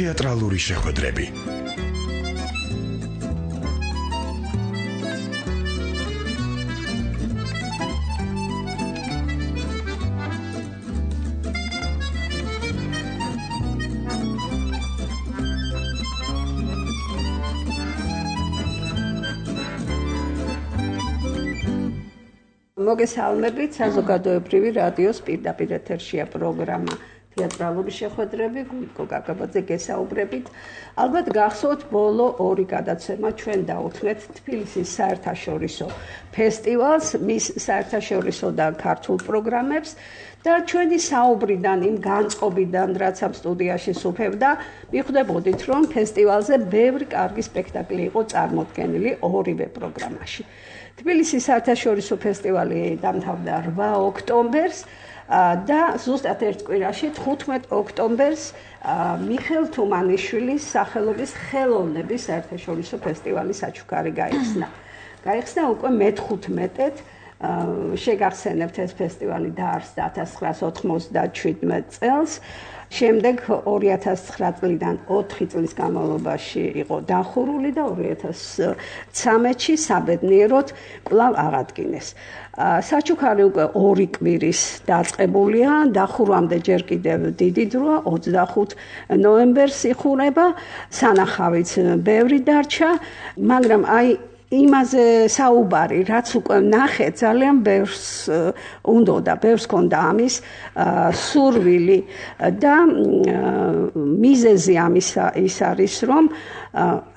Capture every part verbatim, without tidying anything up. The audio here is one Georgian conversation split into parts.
თეატრალური შეხვედრები. მოგესალმებით, საზოგადოებრივი რადიოს პირდაპირ ეთერშია პროგრამა თეატრალური შეხვედრები, გულიკო გაგაბაძე გესაუბრებით. ალბათ გახსოვთ, ბოლო ორი გადაცემა ჩვენ დაუთმეთ თბილისის საერთაშორისო ფესტივალს, მის საერთაშორისო და ქართულ პროგრამებს და ჩვენი საუბრიდან, იმ განწყობიდან, რაც ამ სტუდიაში სუფევდა, მიხვდებოდით, რომ ფესტივალზე ბევრი კარგი სპექტაკლი იყო წარმოდგენილი ორივე პროგრამაში. თბილისის საერთაშორისო ფესტივალი დამთავრდა რვა ოქტომბერს და ზუსტად ერთ კვირაში თხუთმეტ ოქტომბერს მიხელ თუმანიშვილის სახელობის ხელოვნების საერთაშორისო ფესტივალი საჩუქარი გაიხსნა. გაიხსნა უკვე მეთხუთმეტედ, შეგახსენებთ, ეს ფესტივალი დაარსდა ათას ცხრაას ოთხმოცდაშვიდ წელს. შემდეგ ორი ათას ცხრა წლიდან ოთხი წლის განმავლობაში იყო დახურული და ორი ათას ცხრამეტში საბედნიეროდ კვლავ აღადგინეს. საჩუქარი უკვე ორი კვირის დაწყებულია, დახურვამდე ჯერ კიდევ დიდი დროა, ოცდახუთ ნოემბერს იხურება, სანახავიც ბევრი დარჩა, მაგრამ აი იმაზე საუბარი, რაც უკვე ნახეთ, ძალიან ბევრს უნდოდა, ბევრს ჰქონდა ამის სურვილი და მიზეზი ამისა ის არის, რომ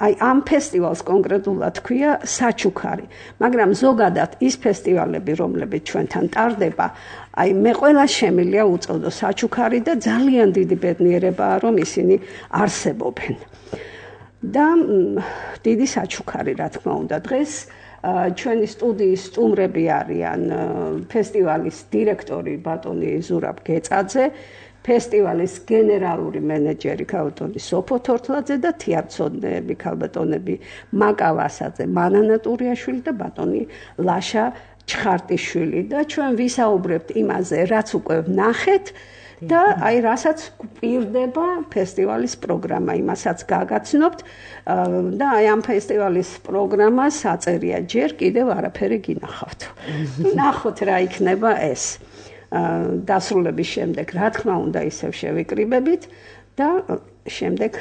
აი ამ ფესტივალს კონკრეტულად ქვია საჩუქარი, მაგრამ ზოგადად ის ფესტივალები, რომლებიც ჩვენთან ტარდება, აი მე ყველა შემილია უწოდო საჩუქარი და ძალიან დიდი ბედნიერებაა, რომ ისინი არსებობენ. და დიდი საჩუქარი, რა თქმა უნდა, დღეს ჩვენი სტუდიის სტუმრები არიან ფესტივალის დირექტორი ბატონი ზურაბ გეწაძე, ფესტივალის გენერალური მენეჯერი ქალბატონი სოფო თორთლაძე და თეატრცოდნეები ქალბატონები მაკა ვასაძე, მანანა ტურიაშვილი და ბატონი ლაშა ჩხარტიშვილი და ჩვენ ვისაუბრებთ იმაზე, რაც უკვე ვნახეთ და აი რასაც გვპირდება ფესტივალის პროგრამა, იმასაც გაგაცნობთ და აი ამ ფესტივალის პროგრამას აწერია ჯერ კიდევ არაფერი გინახავთ. ნახოთ რა იქნება ეს. დასრულების შემდეგ, რა თქმა უნდა, ისევ შევიკრიბებით და შემდეგ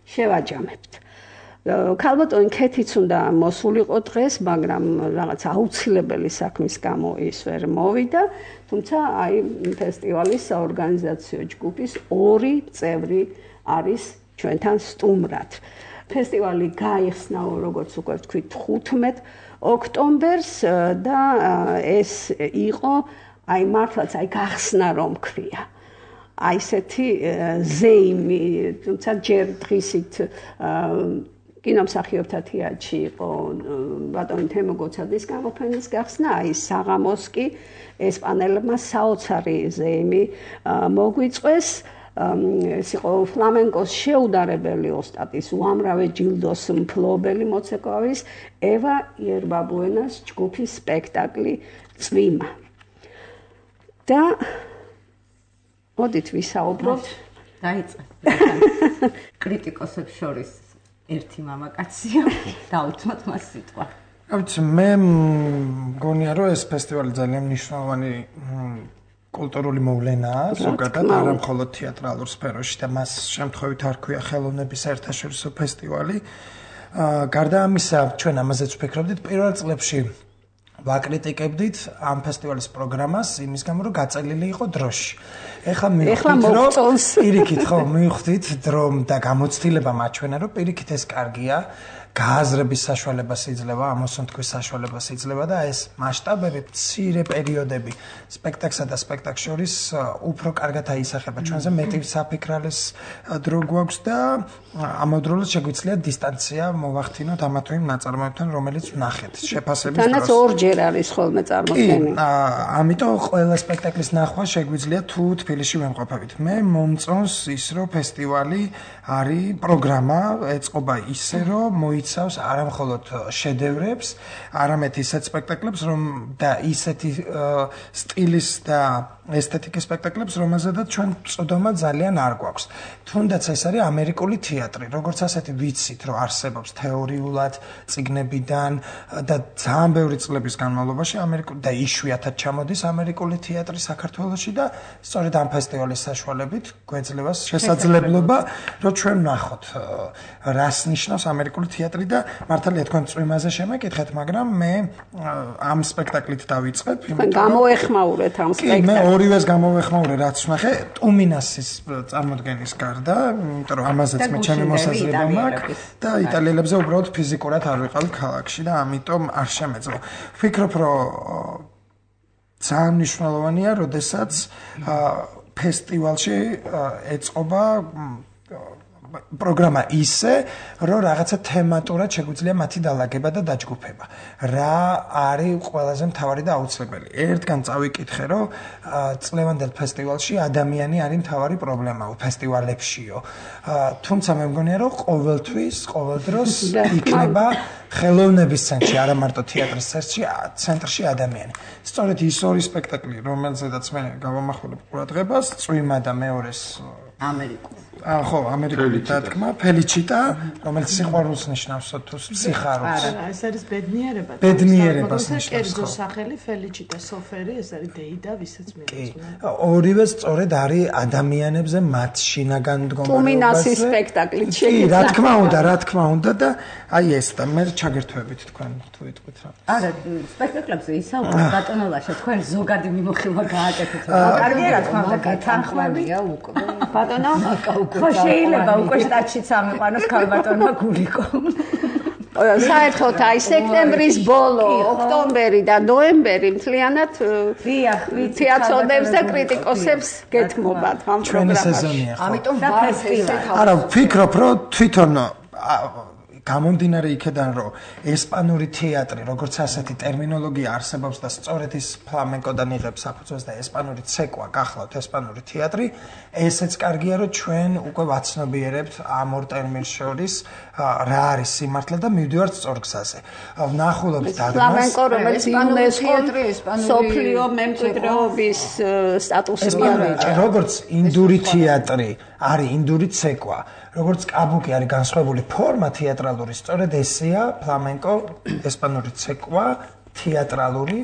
შევაჯამებთ. ქალბატონი ქეთიც უნდა მოსულიყო დღეს, მაგრამ რაღაც აუცილებელი საქმის გამო ის ვერ მოვიდა, თუმცა აი ფესტივალის საორგანიზაციო ჯგუფის ორი წევრი არის ჩვენთან სტუმრად. ფესტივალი გაიხსნა, როგორც უკვე ვთქვით, თხუთმეტ ოქტომბერს და ეს იყო აი მართლაც აი გახსნა რომ ქვია. აი ესეთი ზეიმი, თუმცა ჯერ დღისით კინომსახიობთა თეატრში იყო ბატონი თემო გოცაძის გამოფენის გახსნა, აი საღამოს კი ესპანელებმა საოცარი ზეიმი მოგვიწვეს. ეს იყო ფლამენკოს შეუდარებელი ოსტატის, უამრავი ჯილდოს მფლობელი მოცეკვავის ევა იერბაბუენას ჯგუფის სპექტაკლი წვიმა. და მოდით ვისაუბროთ. დაიწყე. კრიტიკოსებს შორის ერთი მამაკაცია, დაუთმოთ მას სიტყვა. ავიცი, მე მგონია, რომ ეს ფესტივალი ძალიან მნიშვნელოვანი კულტურული მოვლენაა, ზოგადად არა მხოლოდ თეატრალურ სფეროში და მას შემთხვევით არ ქვია ხელოვნების საერთაშორისო ფესტივალი. გარდა ამისა, ჩვენ ამაზეც ვფიქრობდით პირველ წლებში ვაკრიტიკებდით ამ ფესტივალის პროგრამას იმის გამო, რომ გაწელილი იყო დროში. ეხლა მივხვდით, რომ პირიქით ხო, მივხვდით, რომ და გამოცდილება მაჩვენა, რომ პირიქით ეს კარგია, გააზრების საშუალებას იძლევა, ამოსუნთქვის საშუალებას იძლევა და ეს მასშტაბები, მცირე პერიოდები სპექტაკლსა და სპექტაკლს შორის უფრო კარგად აისახება. ჩვენზე მეტი საფიქრალის დრო გვაქვს და ამავდროულად შეგვიძლია დისტანცია მოვახდინოთ ამა თუ იმ ნაწარმოებთან, რომელიც ვნახეთ შეფასების დროს. თანაც ორჯერ არის ხოლმე წარმოდგენილი. ამიტომ ყველა სპექტაკლის ნახვა შეგვიძლია თუ თბილისში თბილისში ვემყოფებით. მე მომწონს ის, რომ ფესტივალი არის პროგრამა, ეწყობა ისე, რომ მოიცავს არა მხოლოდ შედევრებს, არამედ ისეთ სპექტაკლებს, რომ და ისეთი სტილის და ესთეტიკის სპექტაკლებს, რომელზედაც ჩვენ წოდომა ძალიან არ გვაქვს. თუნდაც ეს არის ამერიკული თეატრი, როგორც ასეთი ვიცით, რომ არსებობს თეორიულად, წიგნებიდან და ძალიან ბევრი წლების განმავლობაში ამერიკული და იშვიათად ჩამოდის ამერიკული თეატრი საქართველოში და სწორედ ამ ფესტივალის საშუალებით გვეძლევა შესაძლებლობა, რომ ჩვენ ვნახოთ, რას ნიშნავს ამერიკული თეატრი და მართალია თქვენ წვიმაზე შემეკითხეთ, მაგრამ მე ამ სპექტაკლით დავიწყებ, იმიტომ რომ გამოეხმაურეთ ამ სპექტაკლს. ორივეს გამოვეხმაურე, რაც ვნახე, ტუმინასის წარმოდგენის გარდა, იმიტომ რომ ამაზეც მე ჩემი მოსაზრება მაქვს და იტალიელებზე უბრალოდ ფიზიკურად არ ვიყავ ქალაქში და ამიტომ არ შემეძლო. ვფიქრობ, რომ ძალიან მნიშვნელოვანია, როდესაც ფესტივალში ეწყობა პროგრამა ისე, რომ რაღაცა თემატურად შეგვიძლია მათი დალაგება და დაჯგუფება. რა არის ყველაზე მთავარი და აუცილებელი? ერთგან წავიკითხე, რომ წლევანდელ ფესტივალში ადამიანი არის მთავარი პრობლემა ფესტივალებშიო. თუმცა მე მგონია, რომ ყოველთვის, ყოველ დროს იქნება ხელოვნების ცენტრში, არა მარტო თეატრის ცენტრში ადამიანი. სწორედ ის ორი სპექტაკლი, რომელზედაც მე გავამახვილებ ყურადღებას, წვიმა და მეორეს ამერიკულ. აა ხო, ამერიკული დათქმა, ფელიჩიტა, რომელიც სიყვარულს ნიშნავს თუ ფსიხარობს. არა, ეს არის ბედნიერება. ბედნიერებას ნიშნავს. კერძო სახელი ფელიჩიტა სოფერი, ეს არის დეიდა, ვისაც მიეწოდება. ორივე სწორედ არის ადამიანებზე მათ შინაგან დგომარეობაზე. ტუმინასის სპექტაკლით კი, რა თქმა უნდა, რა თქმა უნდა და აი ეს და მე ჩაგერთვებით თქვენ თუ იტყვით რა. არა, სპექტაკლებზე ისაუბრეთ ბატონო ლაშა, თქვენ ზოგადი მიმოხილვა გააკეთეთ. კარგია რა თქმა უნდა, გათანხმებია უკვე. ბატონო, ხო შეიძლება უკვე შტატშიც ამიყვანოს ქალბატონმა გულიკო. საერთოდ აი სექტემბრის ბოლო, ოქტომბერი და ნოემბერი მთლიანად თეატრონებს და კრიტიკოსებს გეთმობათ ამ პროგრამაში. სეზონია ხო. ამიტომ და ფესტივალი. არა, ვფიქრობ, რომ თვითონ გამომდინარე იქედან, რომ ესპანური თეატრი, როგორც ასეთი ტერმინოლოგია არსებობს და სწორედ ის ფლამენკოდან იღებს საფუძველს და ესპანური ცეკვა გახლავთ ესპანური თეატრი, ესეც კარგია, რომ ჩვენ უკვე ვაცნობიერებთ ამ ორ ტერმინს შორის რა არის სიმართლე და მივდივართ სწორ გზაზე. ვნახულობთ დადგმას. ფლამენკო, რომელიც იუნესკოს სოფლიო მემკვიდრეობის სტატუსს მიენიჭა. როგორც ინდური თეატრი არის ინდური ცეკვა, როგორც კაბუკი არის განსხვავებული ფორმა თეატრალური, სწორედ ესეა ფლამენკო, ესპანური ცეკვა, თეატრალური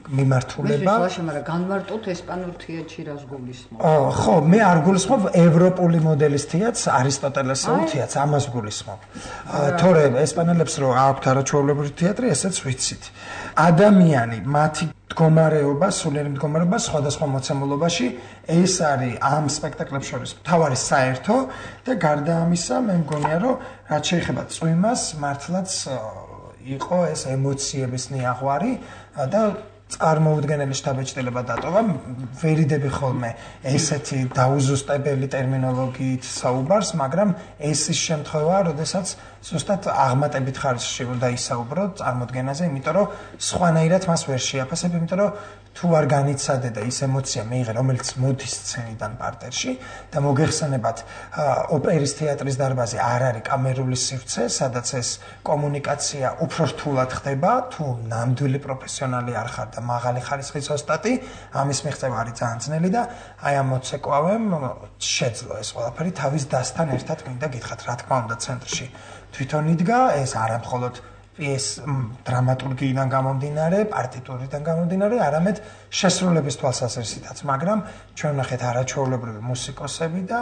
მიმართულება. მე შეიძლება, მაგრამ განმარტოთ ესპანურ თეატრში რას გულისხმობ? ხო, მე არ გულისხმობ ევროპული მოდელის თეატრს, არისტოტელესეულ თეატრს, ამას გულისხმობ. თორე ესპანელებს რო აქვთ არაჩვეულებრივი თეატრი, ესეც ვიცით. ადამიანი, მათი მდგომარეობა, სულიერი მდგომარეობა სხვადასხვა მოცემულობაში, ეს არის ამ სპექტაკლებს შორის მთავარი საერთო და გარდა ამისა, მე მგონია, რომ რაც შეეხება წვიმას, მართლაც იყო ეს ემოციების ნიაღვარი და წარმოუდგენელი შთაბეჭდილება დატოვა. ვერიდები ხოლმე ესეთი დაუზუსტებელი ტერმინოლოგიით საუბარს, მაგრამ ეს ის შემთხვევაა, როდესაც ზუსტად აღმატებით ხარისხში უნდა ისაუბრო წარმოდგენაზე, იმიტომ რომ სხვანაირად მას ვერ შეაფასებ, იმიტომ რომ თუ არ განიცადე და ის ემოცია მიიღე, რომელიც მოდის სცენიდან პარტერში და მოგეხსენებათ, ოპერის თეატრის დარბაზი არ არის კამერული სივრცე, სადაც ეს კომუნიკაცია უფრო რთულად ხდება, თუ ნამდვილი პროფესიონალი არ ხარ და მაღალი ხარისხის ოსტატი, ამის მიღწევა არის ძალიან ძნელი და აი ამ მოცეკვავემ შეძლო ეს ყველაფერი თავის დასთან ერთად მინდა გითხრათ, რა თქმა უნდა ცენტრში თვითონ იდგა, ეს არა მხოლოდ ეს დრამატურგიიდან გამომდინარე, პარტიტურიდან გამომდინარე, არამედ შესრულების თვალსაზრისითაც, მაგრამ ჩვენ ვნახეთ არაჩვეულებრივი მუსიკოსები და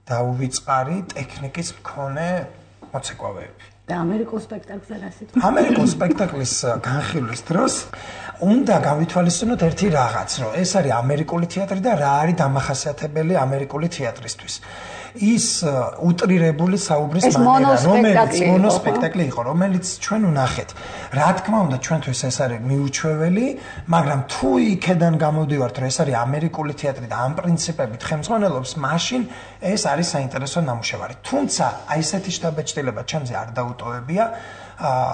დაუვიწყარი ტექნიკის მქონე მოცეკვავეები. და ამერიკულ სპექტაკლზე რა სიტყვა? ამერიკულ სპექტაკლის განხილვის დროს უნდა გავითვალისწინოთ ერთი რაღაც, რომ ეს არის ამერიკული თეატრი და რა არის დამახასიათებელი ამერიკული თეატრისთვის. ის უტრირებული საუბრის მანერა, რომელიც მონოსპექტაკლი იყო, რომელიც ჩვენ ვნახეთ. რა თქმა უნდა, ჩვენთვის ეს არის მიუჩვეველი, მაგრამ თუ იქედან გამოდივართ, რომ ეს არის ამერიკული თეატრი და ამ პრინციპებით ხელმძღვანელობს, მაშინ ეს არის საინტერესო ნამუშევარი. თუმცა, აი ესეთი შთაბეჭდილება ჩემზე არ დაუტოვებია,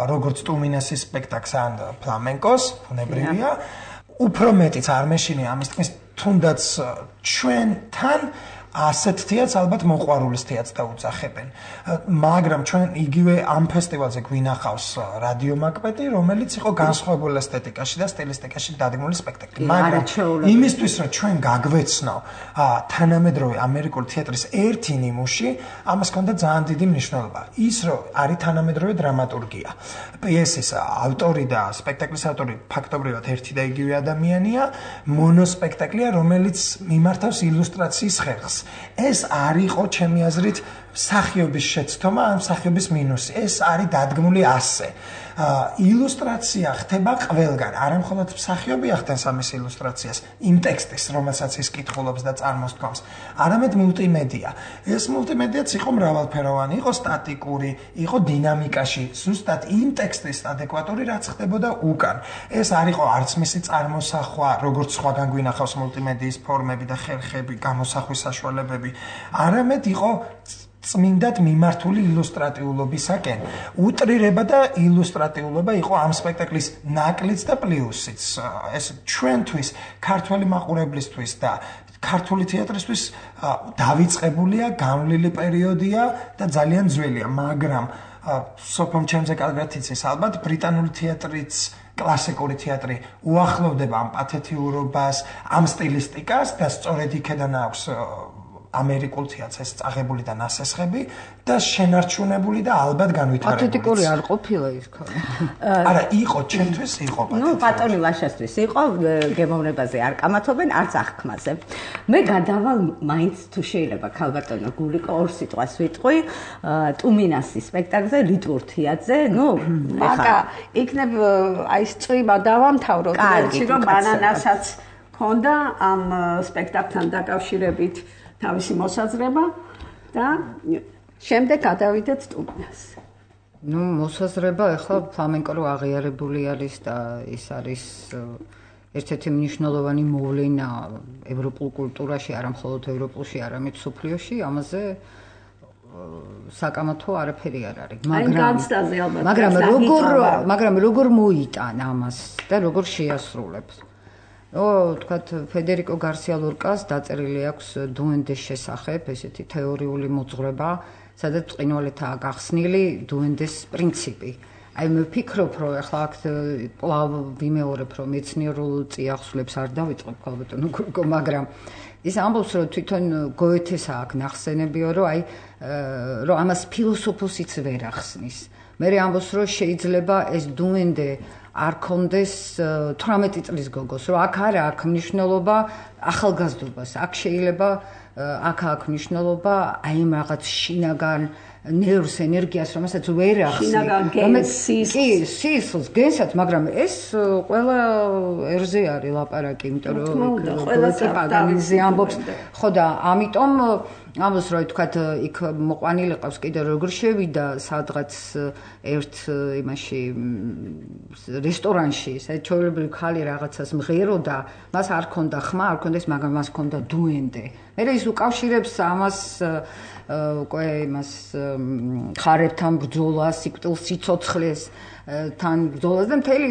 როგორც ტუმინასის სპექტაკლს ან ფლამენკოს, ბუნებრივია. უფრო მეტიც არ მეშინია ამის თქმის, თუნდაც ჩვენთან ასეთ თეატრს ალბათ მოყვარულის თეატრს დაუძახებენ. მაგრამ ჩვენ იგივე ამ ფესტივალზე გვინახავს რადიო მაკბეტი, რომელიც იყო განსხვავებულ ესთეტიკაში და სტილისტიკაში დადგმული სპექტაკლი. მაგრამ იმისთვის რომ ჩვენ გაგვეცნო თანამედროვე ამერიკული თეატრის ერთი ნიმუში, ამას ჰქონდა ძალიან დიდი მნიშვნელობა. ის რომ არის თანამედროვე დრამატურგია. პიესის ავტორი და სპექტაკლის ავტორი ფაქტობრივად ერთი და იგივე ადამიანია, მონოსპექტაკლია, რომელიც მიმართავს ილუსტრაციის ხერხს. ეს არ იყო ჩემი აზრით მსახიობის შეცდომა, ან მსახიობის მინუსი. ეს არის დადგმული ასე. ილუსტრაცია ხდება ყველგან, არა მხოლოდ მსახიობი ახდენს ამის ილუსტრაციას, იმ ტექსტის, რომელსაც ის კითხულობს და წარმოსთქვამს, არამედ მულტიმედია. ეს მულტიმედიაც იყო მრავალფეროვანი, იყო სტატიკური, იყო დინამიკაში, ზუსტად იმ ტექსტის ადეკვატური, რაც ხდებოდა უკან. ეს არ იყო არც მისი წარმოსახვა, როგორც სხვაგან გვინახავს მულტიმედიის ფორმები და ხერხები, გამოსახვის საშუალებები, არამედ იყო წმინდად მიმართული ილუსტრატიულობისაკენ. უტრირება და ილუსტრატიულობა იყო ამ სპექტაკლის ნაკლიც და პლუსიც. ეს ჩვენთვის, ქართველი მაყურებლისთვის და ქართული თეატრისთვის დავიწყებულია, გამლილი პერიოდია და ძალიან ძველია, მაგრამ სოფომ ჩემზე კარგად იცის, ალბათ ბრიტანული თეატრიც კლასიკური თეატრი უახლოვდება ამ პათეთიურობას, ამ სტილისტიკას და სწორედ იქედან აქვს ამერიკულ თეატრს წაღებული და ნასესხები და შენარჩუნებული და ალბათ განვითარებული. პათეტიკური არ ყოფილა ის ქალი. არა, იყო ჩემთვის იყო პათეტიკური. ნუ ბატონი ლაშასთვის იყო გემოვნებაზე არ კამათობენ, არც აღქმაზე. მე გადავალ მაინც თუ შეიძლება ქალბატონო გულიკო ორ სიტყვას ვიტყვი, ტუმინასის სპექტაკლზე, ლიტვურ თეატრზე, ნუ აკა იქნებ აი ეს წვიმა დავამთავროთ, რომ ბანანასაც ქონდა ამ სპექტაკლთან დაკავშირებით თავისი მოსაზრება და შემდეგ გადავიდეთ ტუმინას. ნუ მოსაზრება ახლა ფლამენკო რო აღიარებული არის და ის არის ერთ-ერთი მნიშვნელოვანი მოვლენა ევროპულ კულტურაში, არა მხოლოდ ევროპულში, არამედ მსოფლიოში, ამაზე საკამათო არაფერი არ არის. მაგრამ მაგრამ როგორ მაგრამ როგორ მოიტან ამას და როგორ შეასრულებს? ო, თქვათ, ფედერიკო გარსია ლორკას დაწერილი აქვს დუენდეს შესახებ, ესეთი თეორიული მოძღვრება, სადაც ყინვალეთაა გახსნილი დუენდეს პრინციპი. აი მე ვფიქრობ, რომ ახლა აქ კვლავ ვიმეორებ, რომ მეცნიერულ წიაღსვლებს არ დავიწყებ ქალბატონო გურიკო, მაგრამ ის ამბობს, რომ თვითონ გოეთეს აქვს ნახსენებიო, რომ აი რომ ამას ფილოსოფოსიც ვერ ახსნის. მე ამბობს, რომ შეიძლება ეს დუენდე არ კონდეს თვრამეტი წლის გოგოს, რომ აქ არა აქვს მნიშვნელობა ახალგაზრდობას, აქ შეიძლება აქ აქვს მნიშვნელობა აი იმ რაღაც შინაგან ნერვს ენერგიას, რომელსაც ვერ ახსნი. კი, სისხლს, გენსაც, მაგრამ ეს ყველა ერზე არის ლაპარაკი, იმიტომ რომ ყველა პაგანიზე ამბობს. ხო და ამიტომ ამბობს, რომ თქვათ იქ მოყვანილი ყავს კიდე როგორ შევიდა სადღაც ერთ იმაში რესტორანში, სადაც ჩვეულებრივი ხალი რაღაცას მღეროდა, მას არ ქონდა ხმა, არ ქონდა ის, მაგრამ მას ქონდა დუენდე. მე ის უკავშირებს ამას უკვე იმას ხარებთან ბრძოლას, სიკვდილს, სიცოცხლეს თან ბრძოლას და მთელი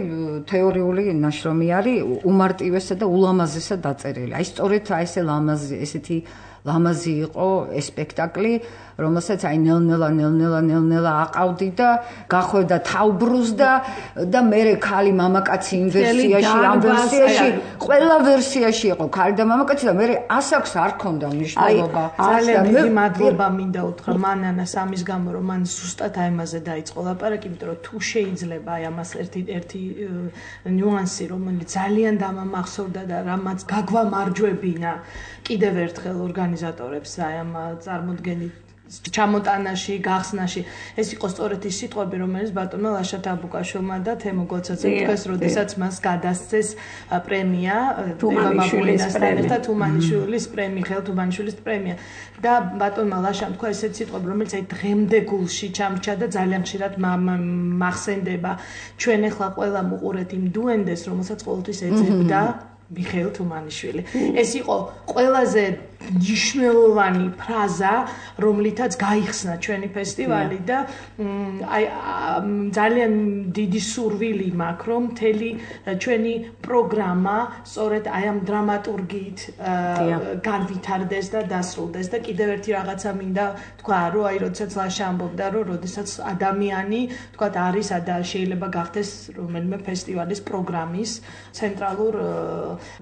თეორიული ნაშრომი არის უმარტივესა და ულამაზესად დაწერილი. აი სწორედ აი ესე ლამაზი, ესეთი ლამაზი იყო ეს სპექტაკლი, რომელსაც აი ნელ-ნელა ნელ-ნელა ნელ-ნელა აყავდი და გახვევდა თავბრუს და და მე ქალი მამაკაცი იმ ვერსიაში, ამ ვერსიაში, ყველა ვერსიაში იყო ქალი და მამაკაცი და მე ასაკს არ ქონდა მნიშვნელობა. ძალიან დიდი მადლობა მინდა უთხრა მანანას ამის გამო, რომ მან ზუსტად აი ამაზე დაიწყო ლაპარაკი, იმიტომ რომ თუ შეიძლება აი ამას ერთი ერთი ნიუანსი, რომელიც ძალიან დამამახსოვრდა და რამაც გაგვამარჯვებინა კიდევ ერთხელ ორგანიზატორებს აი ამ წარმოდგენით ჩამოტანაში, გახსნაში. ეს იყო სწორედ ის სიტყვები, რომელიც ბატონმა ლაშა თაბუკაშვილმა და თემო გოცაცემ თქვეს, როდესაც მას გადასცეს პრემია თუმანიშვილისთან ერთად, თუმანიშვილის პრემია, ხელ თუმანიშვილის პრემია. და ბატონმა ლაშამ თქვა ესეთ სიტყვები, რომელიც აი დღემდე გულში ჩამრჩა და ძალიან ხშირად მახსენდება. ჩვენ ახლა ყველა მუყურეთ იმ დუენდეს, რომელსაც ყოველთვის ეძებდა მიხეილ თუმანიშვილი. ეს იყო ყველაზე ნიშნულოვანი ფრაზა, რომლითაც გაიხსნა ჩვენი ფესტივალი და აი ძალიან დიდი სურვილი მაქვს, რომ მთელი ჩვენი პროგრამა სწორედ აი ამ დრამატურგიით განვითარდეს და დასრულდეს და კიდევ ერთი რაღაცა მინდა თქვა, რომ აი როდესაც ლაშა ამბობდა, რომ როდესაც ადამიანი თქვა არის და შეიძლება გახდეს რომელიმე ფესტივალის პროგრამის ცენტრალურ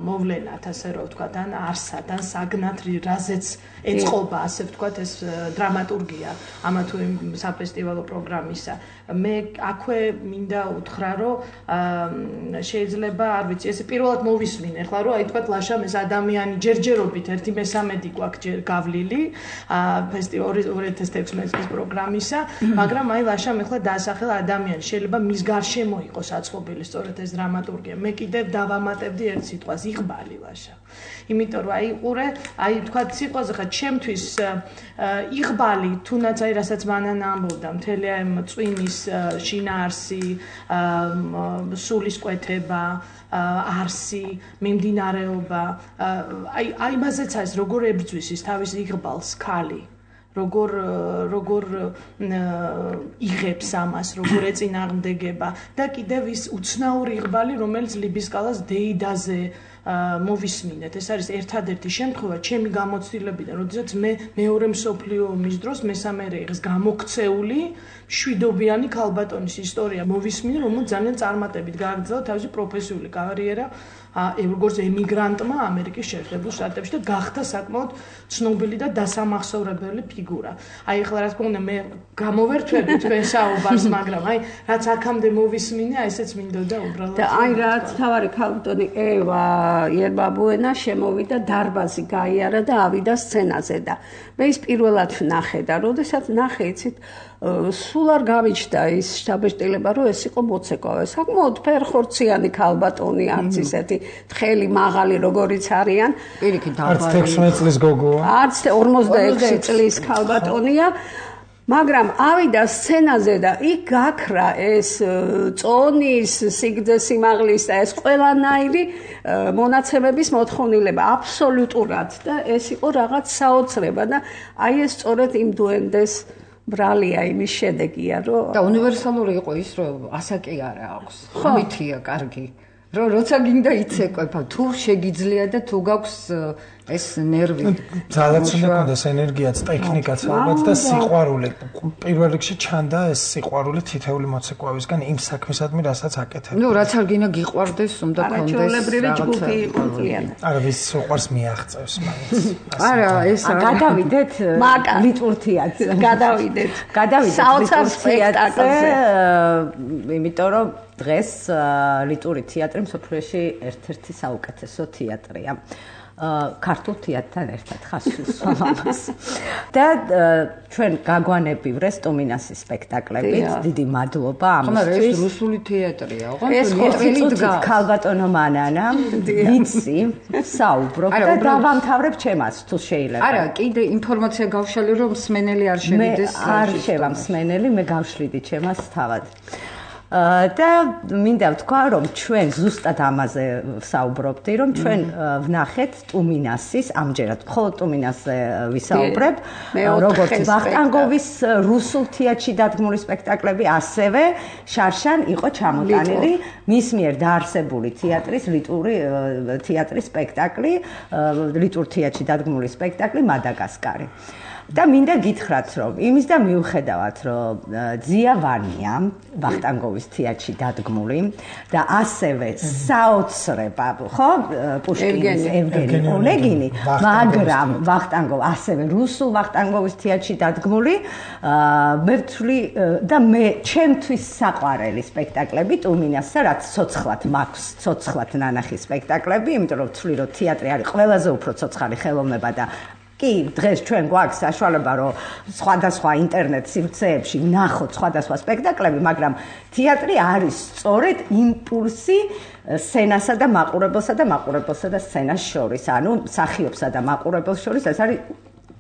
მოვლენად, ასე რომ ვთქვა, ან არსად, ან საგნად რაზეც ეწყობა, ასე ვთქვათ, ეს დრამატურგია ამა თუ იმ საფესტივალო პროგრამისა. მე აქვე მინდა უთხრა, რომ შეიძლება, არ ვიცი, ესე პირველად მოვისმინე, ახლა რომ აი ვთქვათ, ლაშამ ეს ადამიანი ჯერჯერობით ერთი მესამედი გვაქვს გავლილი ფესტივალ ორი ათას თექვსმეტი წლის პროგრამისა, მაგრამ აი ლაშამ ახლა დაასახელა ადამიანი, შეიძლება მის გარშემო იყოს აწყობილი სწორედ ეს დრამატურგია. მე კიდევ დავამატებდი ერთ სიტყვას, იღბალი ლაშა. იმიტომ რომ აი ყურე, აი ვთქვათ, სიტყვაზე ხა ჩემთვის იღბალი, თუნდაც აი რასაც მანანა ამბობდა, მთელი ამ წვიმის შინაარსი, სულისკვეთება, არსი, მიმდინარეობა, აი აი მასეც არის როგორ ებრძვის ის თავის იღბალს ქალი. როგორ როგორ იღებს ამას, როგორ ეწინააღმდეგება და კიდევ ის უცნაური იღბალი, რომელიც ლიბისკალას დეიდაზე მოვისმინეთ. ეს არის ერთადერთი შემთხვევა ჩემი გამოცდილებიდან, როდესაც მე მეორე მსოფლიო ომის დროს მესამე რეიხის გამოქცეული მშვიდობიანი ქალბატონის ისტორია მოვისმინე, რომელიც ძალიან წარმატებით გააგრძელა თავისი პროფესიული კარიერა როგორც ემიგრანტმა ამერიკის შეერთებულ შტატებში და გახდა საკმაოდ ცნობილი და დასამახსოვრებელი ფიგურა. აი ახლა რა თქმა უნდა მე გამოვერთვები თქვენ საუბარს, მაგრამ აი რაც აქამდე მოვისმინე, აი ესეც მინდოდა უბრალოდ. და აი რაც თავარი ქალბატონი ევა იერბაბუენა შემოვიდა დარბაზი გაიარა და ავიდა სცენაზე და მე ის პირველად ვნახე და როდესაც ნახე, იცით, სულ არ გამიჩნდა ის შთაბეჭდილება, რომ ეს იყო მოცეკვავე. საკმაოდ ფერხორციანი ქალბატონი, არც ისეთი თხელი, მაღალი, როგორიც არიან. პირიქით არც თექვსმეტ წლის გოგოა. არც ორმოცდაექვსი წლის ქალბატონია. მაგრამ ავიდა სცენაზე და იქ გაქრა ეს წონის, სიგრძე სიმაღლის და ეს ყველანაირი მონაცემების მოთხოვნილება აბსოლუტურად და ეს იყო რაღაც საოცრება და აი ეს სწორედ იმ დუენდეს ბრალია იმის შედეგია, რომ და უნივერსალური იყო ის, რომ ასაკი არ აქვს. ხმითია კარგი. რომ როცა გინდა იცეკვება, თუ შეგიძლია და თუ გაქვს ეს ნერვი. ძალაც უნდა გქონდეს ენერგიაც, ტექნიკაც ალბათ და სიყვარული. პირველ რიგში ჩანდა ეს სიყვარული თითეული მოცეკვავისგან იმ საქმისადმი, რასაც აკეთებ. ნუ რაც არ გინდა გიყვარდეს, უნდა გქონდეს. არაჩვეულებრივი ჯგუფი იყო მთლიანად. არა, ვის უყვარს მიაღწევს მაინც. არა, ეს გადავიდეთ ლიტურთიაც. გადავიდეთ. გადავიდეთ საოცარ სპექტაკლზე. იმიტომ რომ დღეს ლიტური თეატრი მსოფლიოში ერთ-ერთი საუკეთესო თეატრია. ქართულ თეატრთან ერთად ხასვს ამას. და ჩვენ გაგვანებივრეს ტომინასის სპექტაკლებით. დიდი მადლობა ამისთვის. ეს რუსული თეატრია, ოღონდ ეს ხუთი ქალბატონო მანანა ვიცი, საუბრობ და დავამთავრებ ჩემას თუ შეიძლება. არა, კიდე ინფორმაცია გავშალე რომ მსმენელი არ შევიდეს. მე არ შევა მსმენელი, მე გავშლიდი ჩემას თავად. და მინდა ვთქვა, რომ ჩვენ ზუსტად ამაზე საუბრობდი, რომ ჩვენ ვნახეთ ტუმინასის, ამჯერად მხოლოდ ტუმინასზე ვისაუბრებ, როგორც ვახტანგოვის რუსულ თეატრში დადგმული სპექტაკლები, ასევე შარშან იყო ჩამოტანილი მის მიერ დაარსებული თეატრის ლიტური თეატრის სპექტაკლი, ლიტურ თეატრში დადგმული სპექტაკლი მადაგასკარი. და მინდა გითხრათ, რომ იმის და მიუხედავად, რომ ძია ვანია ვახტანგოვის თეატრში დადგმული და ასევე საოცრება, ხო, პუშკინის ევგენი ონეგინი, მაგრამ ვახტანგოვ ასევე რუსულ ვახტანგოვის თეატრში დადგმული, მე ვთვლი და მე ჩემთვის საყვარელი სპექტაკლები ტუმინასა, რაც ცოცხლად მაქვს, ცოცხლად ნანახი სპექტაკლები, იმიტომ რომ ვთვლი, რომ თეატრი არის ყველაზე უფრო ცოცხალი ხელოვნება და კი, დღეს ჩვენ გვაქვს საშუალება, რომ სხვადასხვა ინტერნეტ სივრცეებში ვნახოთ სხვადასხვა სპექტაკლები, მაგრამ თეატრი არის სწორედ იმპულსი სცენასა და მაყურებელსა და მაყურებელსა და სცენას შორის, ანუ მსახიობსა და მაყურებელს შორის, ეს არის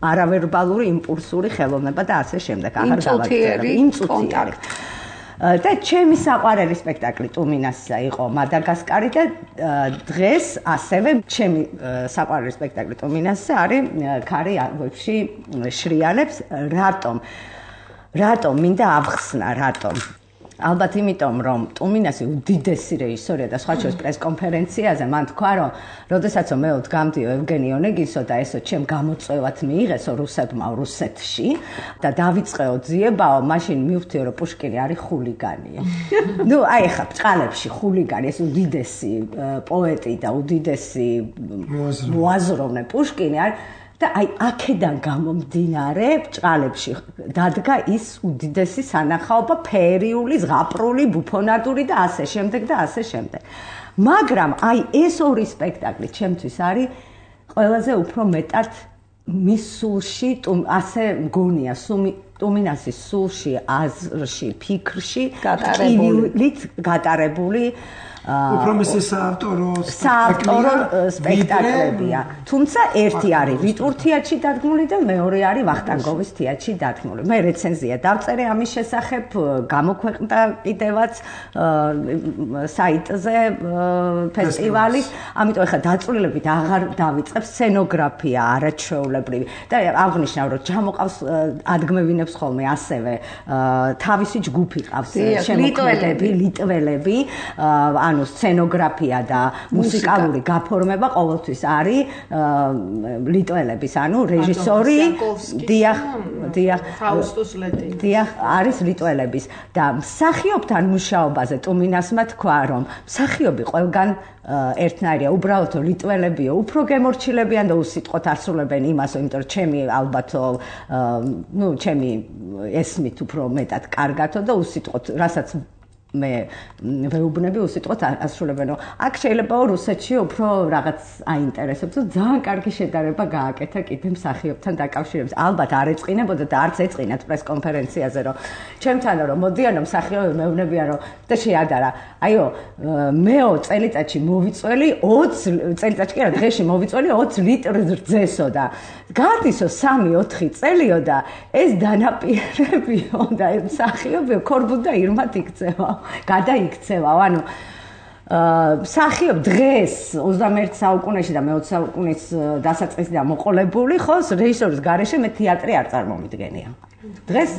არავერბალური იმპულსური ხელოვნება და ასე შემდეგ. აღარ გავაგრძელებ. იმ კონტაქტი. და ჩემი საყვარელი სპექტაკლი ტუმინასა იყო მადაგასკარი და დღეს ასევე ჩემი საყვარელი სპექტაკლი ტუმინასა არის ქარი ვებში შრიალებს რატომ რატომ მინდა ავხსნა რატომ ალბათ იმიტომ რომ ტუმინასი უდიდესი რეჟისორია და სხვა შორის პრესკონფერენციაზე მან თქვა რომ როდესაც მე ვდგამდიო ევგენი ონეგინსო და ესო ჩემ გამოწვევად მიიღესო რუსებმა რუსეთში და დავიწყეო ძიებაო მაშინ მივხვდიო რომ პუშკინი არის ხულიგანია ნუ აი ხა ბჭყალებში ხულიგანი ეს უდიდესი პოეტი და უდიდესი მოაზროვნე პუშკინი არის და აი აქედან გამომდინარე ბჭყალებში დადგა ის უდიდესი სანახაობა ფერიული, ზღაპრული, ბუფონადური და ასე შემდეგ და ასე შემდეგ. მაგრამ აი ეს ორი სპექტაკლი ჩემთვის არის ყველაზე უფრო მეტად მის სულში, ასე მგონია, ტუმინასის სულში, აზრში, ფიქრში გატარებული, გატარებული უფრო მისი საავტორო საავტორო სპექტაკლებია. თუმცა ერთი არის ვიტურ თეატრში დადგმული და მეორე არის ვახტანგოვის თეატრში დადგმული. მე რეცენზია დავწერე ამის შესახებ, გამოქვეყნდა კიდევაც საიტზე ფესტივალის, ამიტომ ახლა დაწვრილებით აღარ დავიწყებ სცენოგრაფია არაჩვეულებრივი და აღნიშნავ რომ ჯამოყავს ადგმევინებს ხოლმე ასევე თავისი ჯგუფი ყავს შემოქმედები, ლიტველები, ანუ სცენოგრაფია და მუსიკალური გაფორმება ყოველთვის არის ლიტველების, ანუ რეჟისორი დიახ, დიახ, ფაუსტუს ლეტინი. დიახ, არის ლიტველების და მსახიობთან მუშაობაზე ტუმინასმა თქვა, რომ მსახიობი ყველგან ერთნაირია, უბრალოდ ლიტველებიო, უფრო გემორჩილებიან და უსიტყვოდ ასრულებენ იმასო, იმიტომ რომ ჩემი ალბათო, ნუ ჩემი ესმით უფრო მეტად კარგათო და უსიტყვოდ, რასაც მე ვეუბნები უსიტყვოდ ასრულებენო. აქ შეიძლება რუსეთში უფრო რაღაც აინტერესებს, ძალიან კარგი შედარება გააკეთა კიდე მსახიობთან დაკავშირებით. ალბათ არ ეწყინებოდა და არც ეწყინათ პრესკონფერენციაზე, რომ ჩემთან რომ მოდიანო მსახიობები მეუბნებიან რომ და შეადარა. აიო, მეო წელიწადში მოვიწველი ოცი წელიწადში კი არა, დღეში მოვიწველი ოცი ლიტრ რძესო და გადისო სამი ოთხი წელიო და ეს დანაპირებიო და მსახიობი ქორბუთ და ირმად იქცევა. გადაიქცევა, ანუ მსახიობ დღეს ოცდამეერთე საუკუნეში და მეოცე საუკუნის დასაწყისიდან მოყოლებული, ხო, რეჟისორის გარეშე მე თეატრი არ წარმომიდგენია. დღეს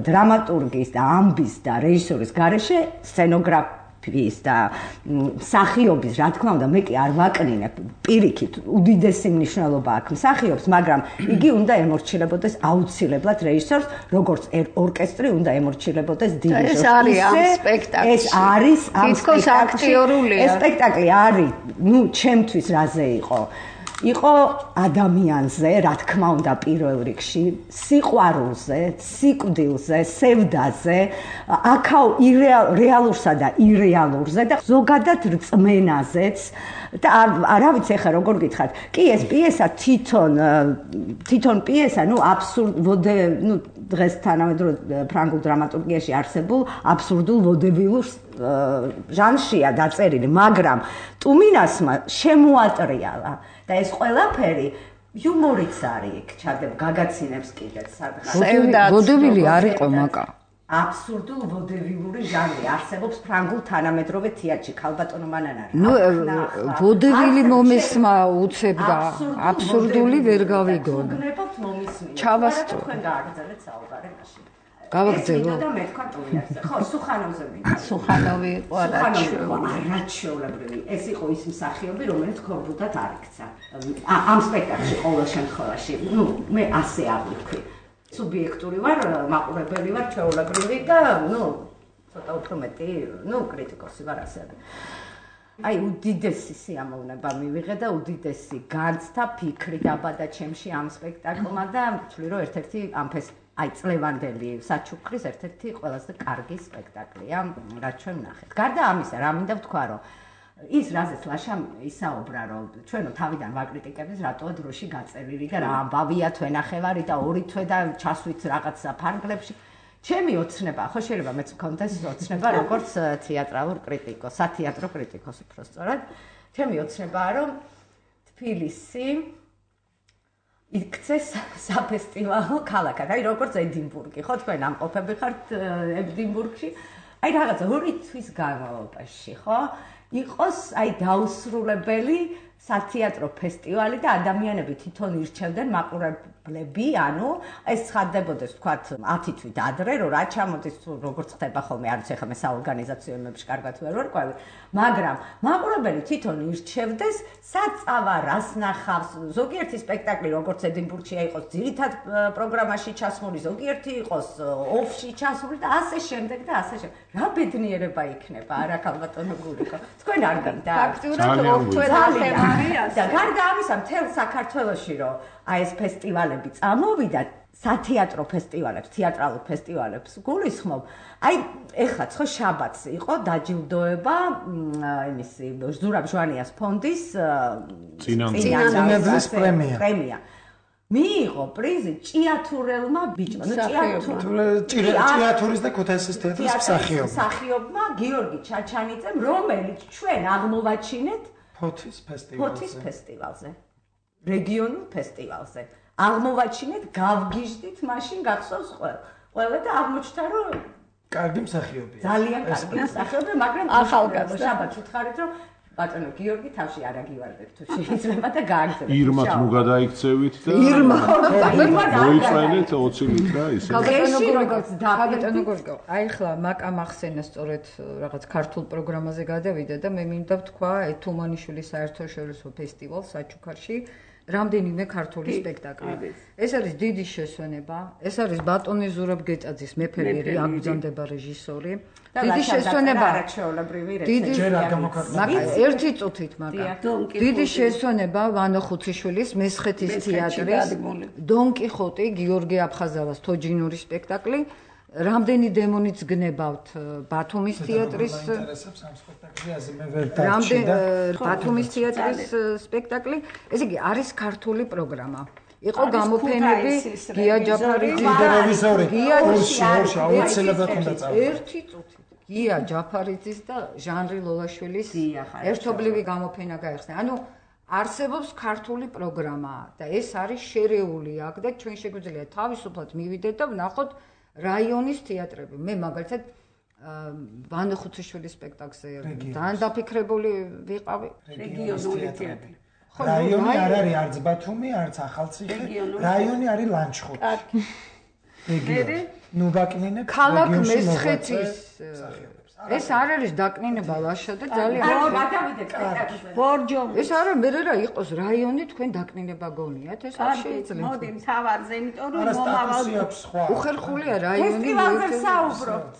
დრამატურგის და ამბის და რეჟისორის გარეშე სცენოგრაფ და მსახიობის, რა თქმა უნდა, მე კი არ ვაკნინებ პირიქით, უდიდესი მნიშვნელობა აქვს მსახიობს, მაგრამ იგი უნდა ემორჩილებოდეს აუცილებლად რეჟისორს, როგორც ორკესტრი უნდა ემორჩილებოდეს დირიჟორს. ეს არის ამ სპექტაკლში. ეს არის ამ თითქოს აქტიორულია. ეს სპექტაკლი არის, ნუ ჩემთვის რაზე იყო? იყო ადამიანზე, რა თქმა უნდა, პირველ რიგში, სიყვარულზე, სიკვდილზე, სევდაზე, აქაო რეალურსა და ირეალურზე და ზოგადად რწმენაზეც და რა ვიცი ახლა როგორ გითხათ. კი, ეს პიესა თვითონ თვითონ პიესა, ნუ აბსურდ, ნუ დღეს თანამედროვე ფრანგულ დრამატურგიაში არსებულ აბსურდულ ვოდებილურ ჟანრშია დაწერილი, მაგრამ ტუმინასმა შემოატრიალა და ეს ყველაფერი იუმორიც არის იქ ჩადებ გაგაცინებს კიდეც სადღაც. ვოდევილი არ იყო მაკა. აბსურდულ ვოდებილური ჟანრი არსებობს ფრანგულ თანამედროვე თეატრში, ქალბატონო მანანა. ნუ ვოდევილი მომისმა უცებდა, აბსურდული ვერ გავიგონე. ჩავასწრო. თქვენ გააგრძელეთ საუბარი მაშინ. გავაგრძელო. და მე თქვა ტუმინასზე. ხო, სუხანოვზე მინდა. სუხანოვი იყო არაჩვეულებრივი. ეს იყო ის მსახიობი, რომელიც ქორბუდად არ იქცა. ამ სპექტაკლში ყოველ შემთხვევაში, ნუ მე ასე აღვიქვი. სუბიექტური ვარ, მაყურებელი ვარ, ჩვეულებრივი და ნუ ცოტა უფრო მეტი, ნუ კრიტიკოსი ვარ ასევე. აი უდიდესი სიამოვნება მივიღე და უდიდესი განცდა ფიქრი დაბადა ჩემში ამ სპექტაკლმა და ვთვლი რომ ერთ-ერთი ამ ფესტივალში აი წლევანდელი საჩუქრის ერთ-ერთი ყველაზე კარგი სპექტაკლია, რაც ჩვენ ვნახეთ. გარდა ამისა, რა მინდა ვთქვა, რომ ის რაზეც ლაშა ისაუბრა, რომ ჩვენო თავიდან ვაკრიტიკებდეს, რატოა დროში გაწერილი და რა ამბავია თვენახევარი და ორი თვე და ჩასვით რაღაცა ფარგლებში. ჩემი ოცნება, ხო შეიძლება მეც მქონდეს ოცნება, როგორც თეატრალურ კრიტიკოს, სათეატრო კრიტიკოს უბრალოდ. ჩემი ოცნებაა, რომ თბილისი იქცეს საფესტივალო ქალაქად. აი როგორც ედინბურგი, ხო თქვენ ამყოფები ხართ ედინბურგში. აი რაღაცა ორი თვის განმავლობაში, ხო? იყოს აი დაუსრულებელი სათეატრო ფესტივალი და ადამიანები თვითონ ირჩევდნენ მაყურებლები, ანუ ეს ცხადდებოდეს თქვათ ათი თვით ადრე, რომ რა ჩამოდის როგორც ხდება ხოლმე, არ ვიცი, ხა მე საორგანიზაციო იმებში კარგად ვერ ვარკვევი, მაგრამ მაყურებელი თვითონ ირჩევდეს, საწავა რას ნახავს, ზოგიერთი სპექტაკლი როგორც ედინბურგშია იყოს ძირითად პროგრამაში ჩასმული, ზოგიერთი იყოს ოფში ჩასმული და ასე შემდეგ და ასე შემდეგ. რა ბედნიერება იქნება, არა ქალბატონო გურიკო. თქვენ არ გინდა? ფაქტურად თქვენ ახევარია. და გარდა ამისა, მთელ საქართველოში რომ აი ეს ფესტივალები წამოვიდა, სათეატრო ფესტივალებს, თეატრალურ ფესტივალებს გულისხმობ. აი, ეხლა ხო შაბათს იყო დაჯილდოება იმისი ზურაბ ჟვანიას ფონდის წინამძღოლის პრემია. პრემია. მიიღო პრიზი ჭიათურელმა ბიჭმა, ნუ ჭიათურის და ქუთაისის თეატრის მსახიობმა. მსახიობმა გიორგი ჩაჩანიძემ, რომელიც ჩვენ აღმოვაჩინეთ ფოთის ფესტივალზე. ფოთის ფესტივალზე. რეგიონულ ფესტივალზე. აღმოვაჩინეთ, გავგიჟდით, მაშინ გახსოვს ყველა და აღმოჩნდა, რომ კარგი მსახიობია. ძალიან კარგი მსახიობია, მაგრამ ახალგაზრდა. შაბათს უთხარით, რომ ბატონო გიორგი თავში არ აგივარდებ თუ შეიძლება და გააგზავნეთ. ირმათ ნუ გადაიქცევით და ირმა მოიწვენეთ ოცი ლიტრა ისე. ქალბატონო გორგო, აი ხლა მაკამ ახსენა სწორედ რაღაც ქართულ პროგრამაზე გადავიდა და მე მინდა ვთქვა ეთუმანიშვილის საერთაშორისო ფესტივალს საჩუქარში. რამდენიმე ქართული სპექტაკლი. ეს არის დიდი შესვენება. ეს არის ბატონი ზურაბ გეწაძის მეფე-ვირი, აგზავნება რეჟისორი. დიდი შესვენება. დიდი ჯერ არ გამოქვეყნდა. ერთი წუთით მაგრამ. დიდი შესვენება ვანო ხუციშვილის მესხეთის თეატრის დონ კიხოტი გიორგი აფხაზავას თოჯინური სპექტაკლი. რამდენი დემონიც გნებავთ ბათუმის თეატრის რამდენი ბათუმის თეატრის სპექტაკლი. ესე იგი არის ქართული პროგრამა. იყო გამოფენები გია ჯაფარიძის გია აუცილებლად უნდა წავიდე. ერთი წუთით გია ჯაფარიძის და ჟანრი ლოლაშვილის ერთობლივი გამოფენა გაიხსნა. ანუ არსებობს ქართული პროგრამა და ეს არის შერეული აქ და ჩვენ შეგვიძლია თავისუფლად მივიდეთ და ვნახოთ რაიონის თეატრები. მე მაგალითად ვანო ხუციშვილის სპექტაკლზე ძალიან დაფიქრებული ვიყავი. რეგიონული თეატრი. რაიონი არ არის არც ბათუმი, არც ახალციხე, რაიონი არის ლანჩხუთი. რეგიონი. ნუ ვაკნინებ ქალაქ მესხეთის ეს არ არის დაკნინება ლაშა და ძალიან გადავიდეთ სპექტაკლზე. ბორჯომი. ეს არა მე რა იყოს რაიონი თქვენ დაკნინება გონიათ ეს არ შეიძლება. მოდი მთავარზე, იმიტომ რომ მომავალ უხერხულია რაიონი. ფესტივალზე საუბრობთ.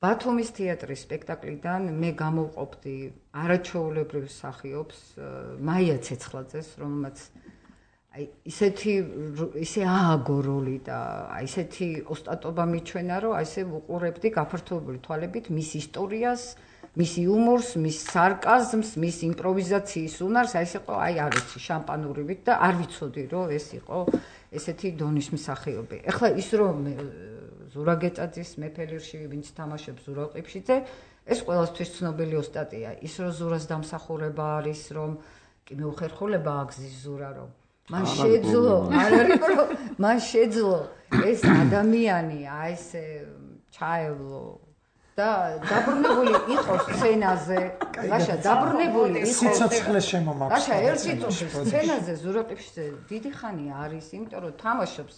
ბათუმის თეატრის სპექტაკლიდან მე გამოვყოფდი არაჩვეულებრივ მსახიობს მაია ცეცხლაძეს, რომელმაც აი ისეთი ისე ააგო როლი და აი ისეთი ოსტატობა მიჩვენა, რომ აი ესე ვუყურებდი გაფართოებული თვალებით მის ისტორიას, მის იუმორს, მის სარკაზმს, მის იმპროვიზაციის უნარს, აი ეს იყო აი არ ვიცი შამპანურივით და არ ვიცოდი რომ ეს იყო ესეთი დონის მსახიობი. ეხლა ის რომ ზურა გეწაძის მეფელირში ვინც თამაშობს ზურა ყიფშიძე, ეს ყველასთვის ცნობილი ოსტატია. ის რომ ზურას დამსახურება არის, რომ კი მეუხერხულება აგზის ზურა რომ მან შეძლო, არ არის რომ მან შეძლო ეს ადამიანი აი ესე ჩაევლო და დაბრუნებული იყო სცენაზე. ლაშა დაბრუნებული იყო სიცოცხლეს შემომაქვს. ლაშა ერთი წუთი სცენაზე ზურა ყიფშიძე დიდი ხანია არის, იმიტომ რომ თამაშობს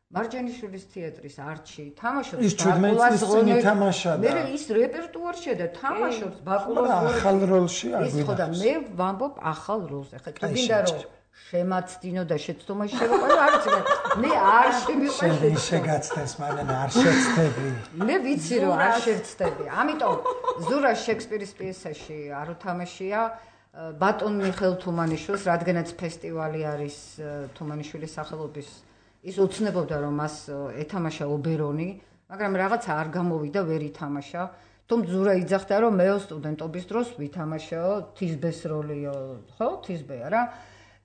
მარჯანიშვილის თეატრის არჩი, თამაშობს ბაკულას როლში თამაშა და მე ის რეპერტუარშია და თამაშობს ბაკულას როლში. ახალ როლში არ ის ხო და მე ვამბობ ახალ როლზე. ხა თუ გინდა რომ შემაცდინო და შეცდომაში შევაყო, არ ვიცი, მე არ შემიყვანდი. შეგაცდეს, მაგრამ არ შეცდები. მე ვიცი რომ არ შევცდები. ამიტომ ზურა შექსპირის პიესაში არ უთამაშია ბატონ მიხეილ თუმანიშვილს, რადგანაც ფესტივალი არის თუმანიშვილის სახელობის. ის უცნებობდა რომ მას ეთამაშა ობერონი, მაგრამ რაღაცა არ გამოვიდა, ვერ ითამაშა. თუმცა ზურა იძახდა რომ მეო სტუდენტობის დროს ვითამაშაო თიზბეს როლიო, ხო, თიზბეა რა.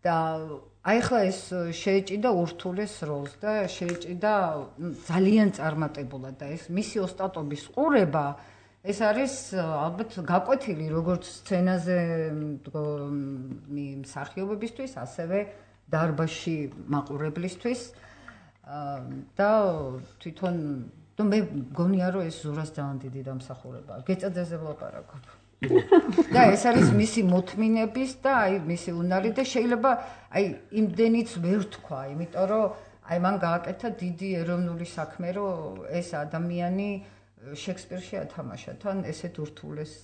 და აი ახლა ეს შეეჭიდა ურთულეს როლს და შეეჭიდა ძალიან წარმატებულად და ეს მისი ოსტატობის ყურება ეს არის ალბათ გაკვეთილი როგორც სცენაზე მსახიობებისთვის, ასევე დარბაზში მაყურებლისთვის და თვითონ და მე მგონია რომ ეს ზურას ძალიან დიდი დამსახურებაა. გეწაძეზე ვლაპარაკობ. და ეს არის მისი მოთმინების და აი მისი უნარი და შეიძლება აი იმდენიც ვერ თქვა, იმიტომ რომ აი მან გააკეთა დიდი ეროვნული საქმე, რომ ეს ადამიანი შექსპირში ათამაშა თან ესეთ ურთულეს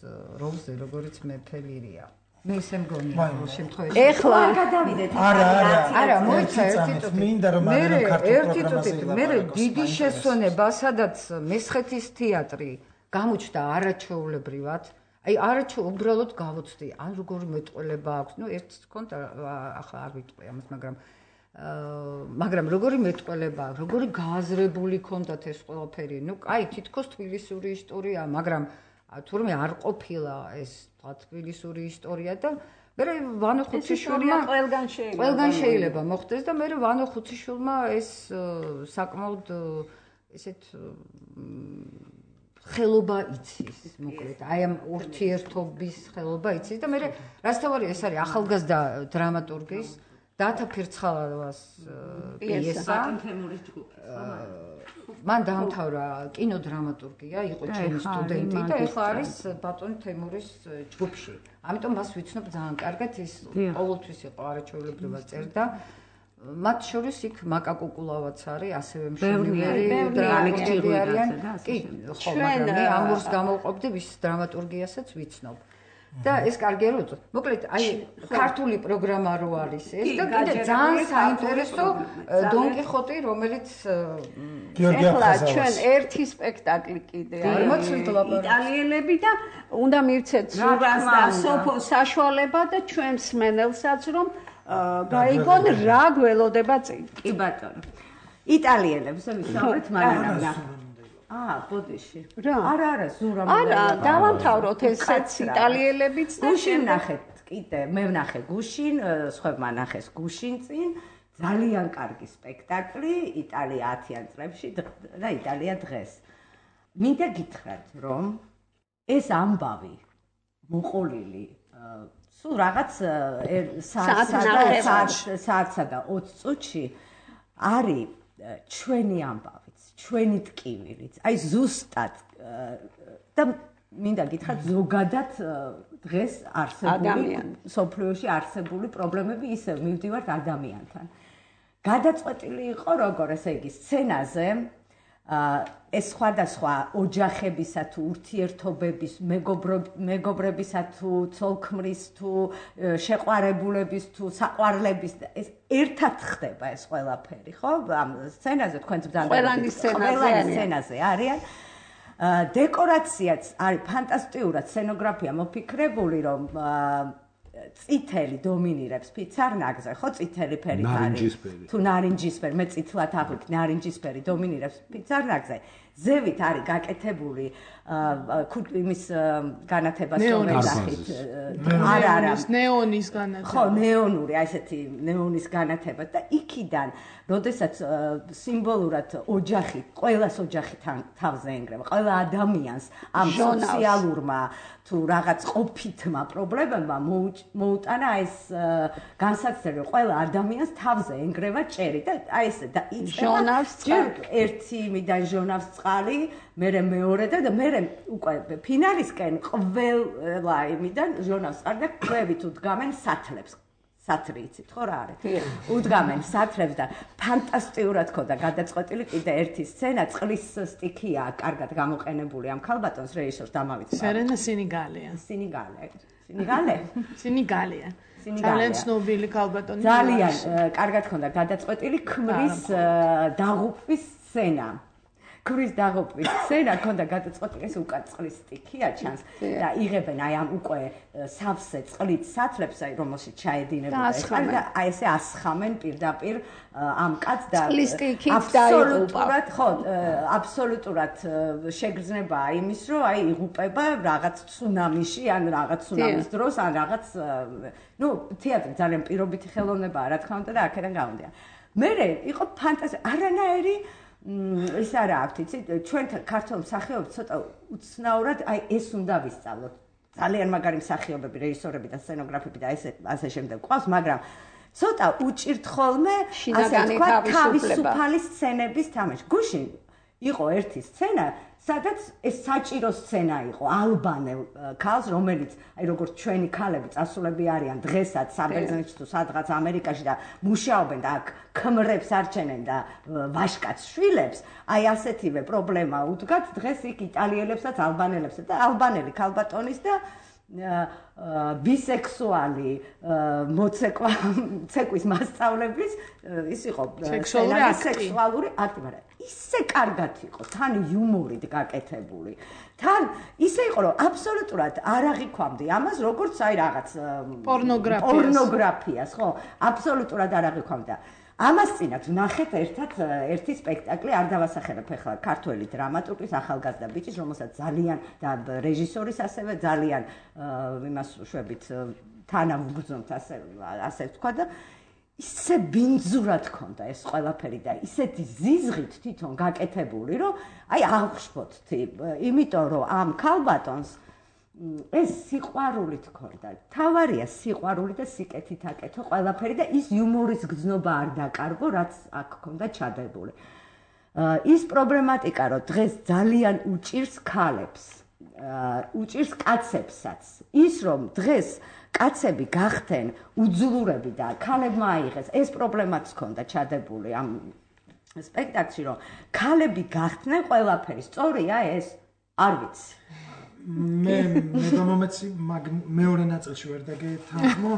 როლზე, როგორც მეფე ლირია. მე ისე მგონია ამ შემთხვევაში. ეხლა გადავიდეთ. არა, არა, არა, მოიცა ერთი წუთი. მინდა რომ ამ ქართულ პროგრამაზე ვიყავ. მე დიდი შესვენება, სადაც მესხეთის თეატრი გამოჩნდა არაჩვეულებრივად. აი არაჩვეულ უბრალოდ გავოცდი, ან როგორი მეტყველება აქვს. ნუ ერთს ჰქონდა, ახლა არ ვიტყვი ამას, მაგრამ აა მაგრამ როგორი მეტყველება, როგორი გააზრებული ჰქონდათ ეს ყველაფერი. ნუ აი თითქოს თბილისური ისტორია, მაგრამ თურმე არ ყოფილა ეს თქვა თბილისური ისტორია და მე ვანო ხუციშვილმა ყველგან შეიძლება ყველგან შეიძლება მოხდეს და მე ვანო ხუციშვილმა ეს საკმაოდ ესეთ ხელობა იცის, მოკლედ, აი ამ ურთიერთობის ხელობა იცის და მე რასთავარი ეს არის ახალგაზრდა დრამატურგის დათა ფირცხალავას პიესა. მან დაამთავრა კინოდრამატურგია, იყო ჩემი სტუდენტი და ეხლა არის ბატონ თემურის ჯგუფში. ამიტომ მას ვიცნობ ძალიან კარგად, ის ყოველთვის იყო არაჩვეულებრივად წერდა. მათ შორის იქ მაკა კუკულავაც არის, ასევე მშვენიერი დრამატურგი არიან. კი, ხო, მაგრამ მე ამურს გამოვყოფდი ვის დრამატურგიასაც ვიცნობ. და ეს კარგია რომ უწოდ. მოკლედ, აი ქართული პროგრამა რო არის ეს და კიდე ძალიან საინტერესო დონ კიხოტი, რომელიც ეხლა ჩვენ ერთი სპექტაკლი კიდე არის იტალიელები და უნდა მივცეთ ზურას და სოფოს საშუალება და ჩვენ მსმენელსაც რომ გაიგონ რა გველოდება წინ. კი ბატონო. იტალიელებს ვისაუბრეთ მანანამ. აა, ბოდიში. არა, არა, ზურა მე. არა, დავამთავროთ ესეც იტალიელებიც და გუშინ ნახეთ, კიდე მე ვნახე გუშინ, სხვებმა ნახეს გუშინ წინ, ძალიან კარგი სპექტაკლი იტალია ათიან წლებში და იტალია დღეს. მინდა გითხრათ, რომ ეს ამბავი მოყოლილი სულ რაღაც საათსა და ოცი წუთში არის ჩვენი ამბავიც, ჩვენი ტკივილიც. აი ზუსტად და მინდა გითხრათ ზოგადად დღეს არსებული სოფლიოში არსებული პრობლემები ისევ მივდივართ ადამიანთან. გადაწყვეტილი იყო როგორ ესე იგი სცენაზე ეს სხვადასხვა ოჯახებისა თუ ურთიერთობების, მეგობრებისა თუ ცოლ-ქმრის თუ შეყვარებულების თუ საყვარლების ეს ერთად ხდება ეს ყველაფერი, ხო? ამ სცენაზე თქვენ ყველანი სცენაზე არიან. დეკორაციაც არის ფანტასტიკურად სცენოგრაფია მოფიქრებული, რომ წითელი დომინირებს ფიცარნაგზე, ხო, წითელი ფერი არის. თუ ნარინჯისფერი, მე წითლად აღვიქ, ნარინჯისფერი დომინირებს ფიცარნაგზე. ზევით არის გაკეთებული იმის განათებას შევეძახით. არა, არა, ნეონის განათება. ხო, ნეონური, აი ესეთი ნეონის განათება და იქიდან, როდესაც სიმბოლურად ოჯახი, ყველას ოჯახი თავზე ენგრევა, ყველა ადამიანს ამ სოციალურმა თუ რაღაც ყოფითმა პრობლემებმა მოუტანა ეს განსაცდელი, ყველა ადამიანს თავზე ენგრევა ჭერი და აი ეს და იწყება ერთი მიდან ჟონავს წყალი, მერე მეორე და მერე უკვე ფინალისკენ ყველა იმიდან ჟონავს წყალი და ქვევით უდგამენ სათლებს. სათრი იცით ხო რა არის? უდგამენ სათლებს და ფანტასტიკურად ხოდა გადაწყვეტილი კიდე ერთი სცენა წყლის სტიქია, კარგად გამოყენებული ამ ქალბატონს რეჟისორს დამავიწყდა. სერენა სინიგალეა. სინიგალე. სინიგალე? სინიგალეა. ძალიან ცნობილი ქალბატონი. ძალიან კარგად ხონდა გადაწყვეტილი ქმრის დაღუპვის სცენა. ქმრის დაღუპვის სცენა ხონდა გადაწყვეტილი ეს უკან წყლის სტიქია ჩანს და იღებენ აი ამ უკვე სავსე წყლით სათლებს აი რომელშიც ჩაედინებოდა ეს და აი ესე ასხამენ პირდაპირ ამ კაცს და აბსოლუტურად ხო აბსოლუტურად შეგრძნებაა იმის რომ აი იღუპება რაღაც ცუნამიში ან რაღაც ცუნამის დროს ან რაღაც ნუ თეატრი ძალიან პირობითი ხელოვნებაა რა თქმა უნდა და აქედან გამომდინარე მე იყო ფანტასტიკური არანაირი ის არა აქვს იცი ჩვენ ქართულ მსახიობებს ცოტა უცნაურად აი ეს უნდა ვისწავლოთ ძალიან მაგარი მსახიობები რეჟისორები და სცენოგრაფები და ესე ასე შემდეგ ყავს მაგრამ ცოტა უჭირთ ხოლმე ასე თქვა თავისუფალი სცენების თამაში გუშინ იყო ერთი სცენა, სადაც ეს საჭირო სცენა იყო ალბანელ ქალს, რომელიც აი როგორც ჩვენი ქალები წასულები არიან დღესაც საბერძნეთში თუ სადღაც ამერიკაში და მუშაობენ და აქ ქმრებს არჩენენ და ვაშკაც შვილებს, აი ასეთივე პრობლემა უდგათ დღეს იქ იტალიელებსაც, ალბანელებსაც და ალბანელი ქალბატონის და ბისექსუალი მოცეკვა ცეკვის მასწავლებლის ის იყო სექსუალური აქტი, მაგრამ ისე კარგად იყო, თან იუმორით გაკეთებული. თან ისე იყო, რომ აბსოლუტურად არ აღიქვამდი ამას, როგორც აი რაღაც პორნოგრაფიას. პორნოგრაფიას, ხო? აბსოლუტურად არ აღიქვამდა. ამას წინათ ვნახეთ ერთად ერთი სპექტაკლი, არ დავასახელებ ახლა ქართველი დრამატურგის ახალგაზრდა ბიჭის, რომელსაც ძალიან და რეჟისორის ასევე ძალიან იმას შვებით თანავუგრძნობთ ასე ასე ვთქვა და ისე ბინძურად ქონდა ეს ყველაფერი და ისეთი ზიზღით თვითონ გაკეთებული, რომ აი აღშფოთთი, იმიტომ რომ ამ ქალბატონს ეს სიყვარულით ქონდა. თავარია სიყვარული და სიკეთით აკეთო ყველაფერი და ის იუმორის გრძნობა არ დაკარგო, რაც აქ ქონდა ჩადებული. ის პრობლემატიკა, რომ დღეს ძალიან უჭირს ქალებს, უჭირს კაცებსაც. ის რომ დღეს კაცები გახდნენ უძლურები და ქალებმა აიღეს, ეს პრობლემაც ქონდა ჩადებული ამ სპექტაკლში, რომ ქალები გახდნენ ყველაფერი. სწორია ეს? არ ვიცი. მე მე გამომეცი მეორე ნაწილში ვერ დაგეთანხმო.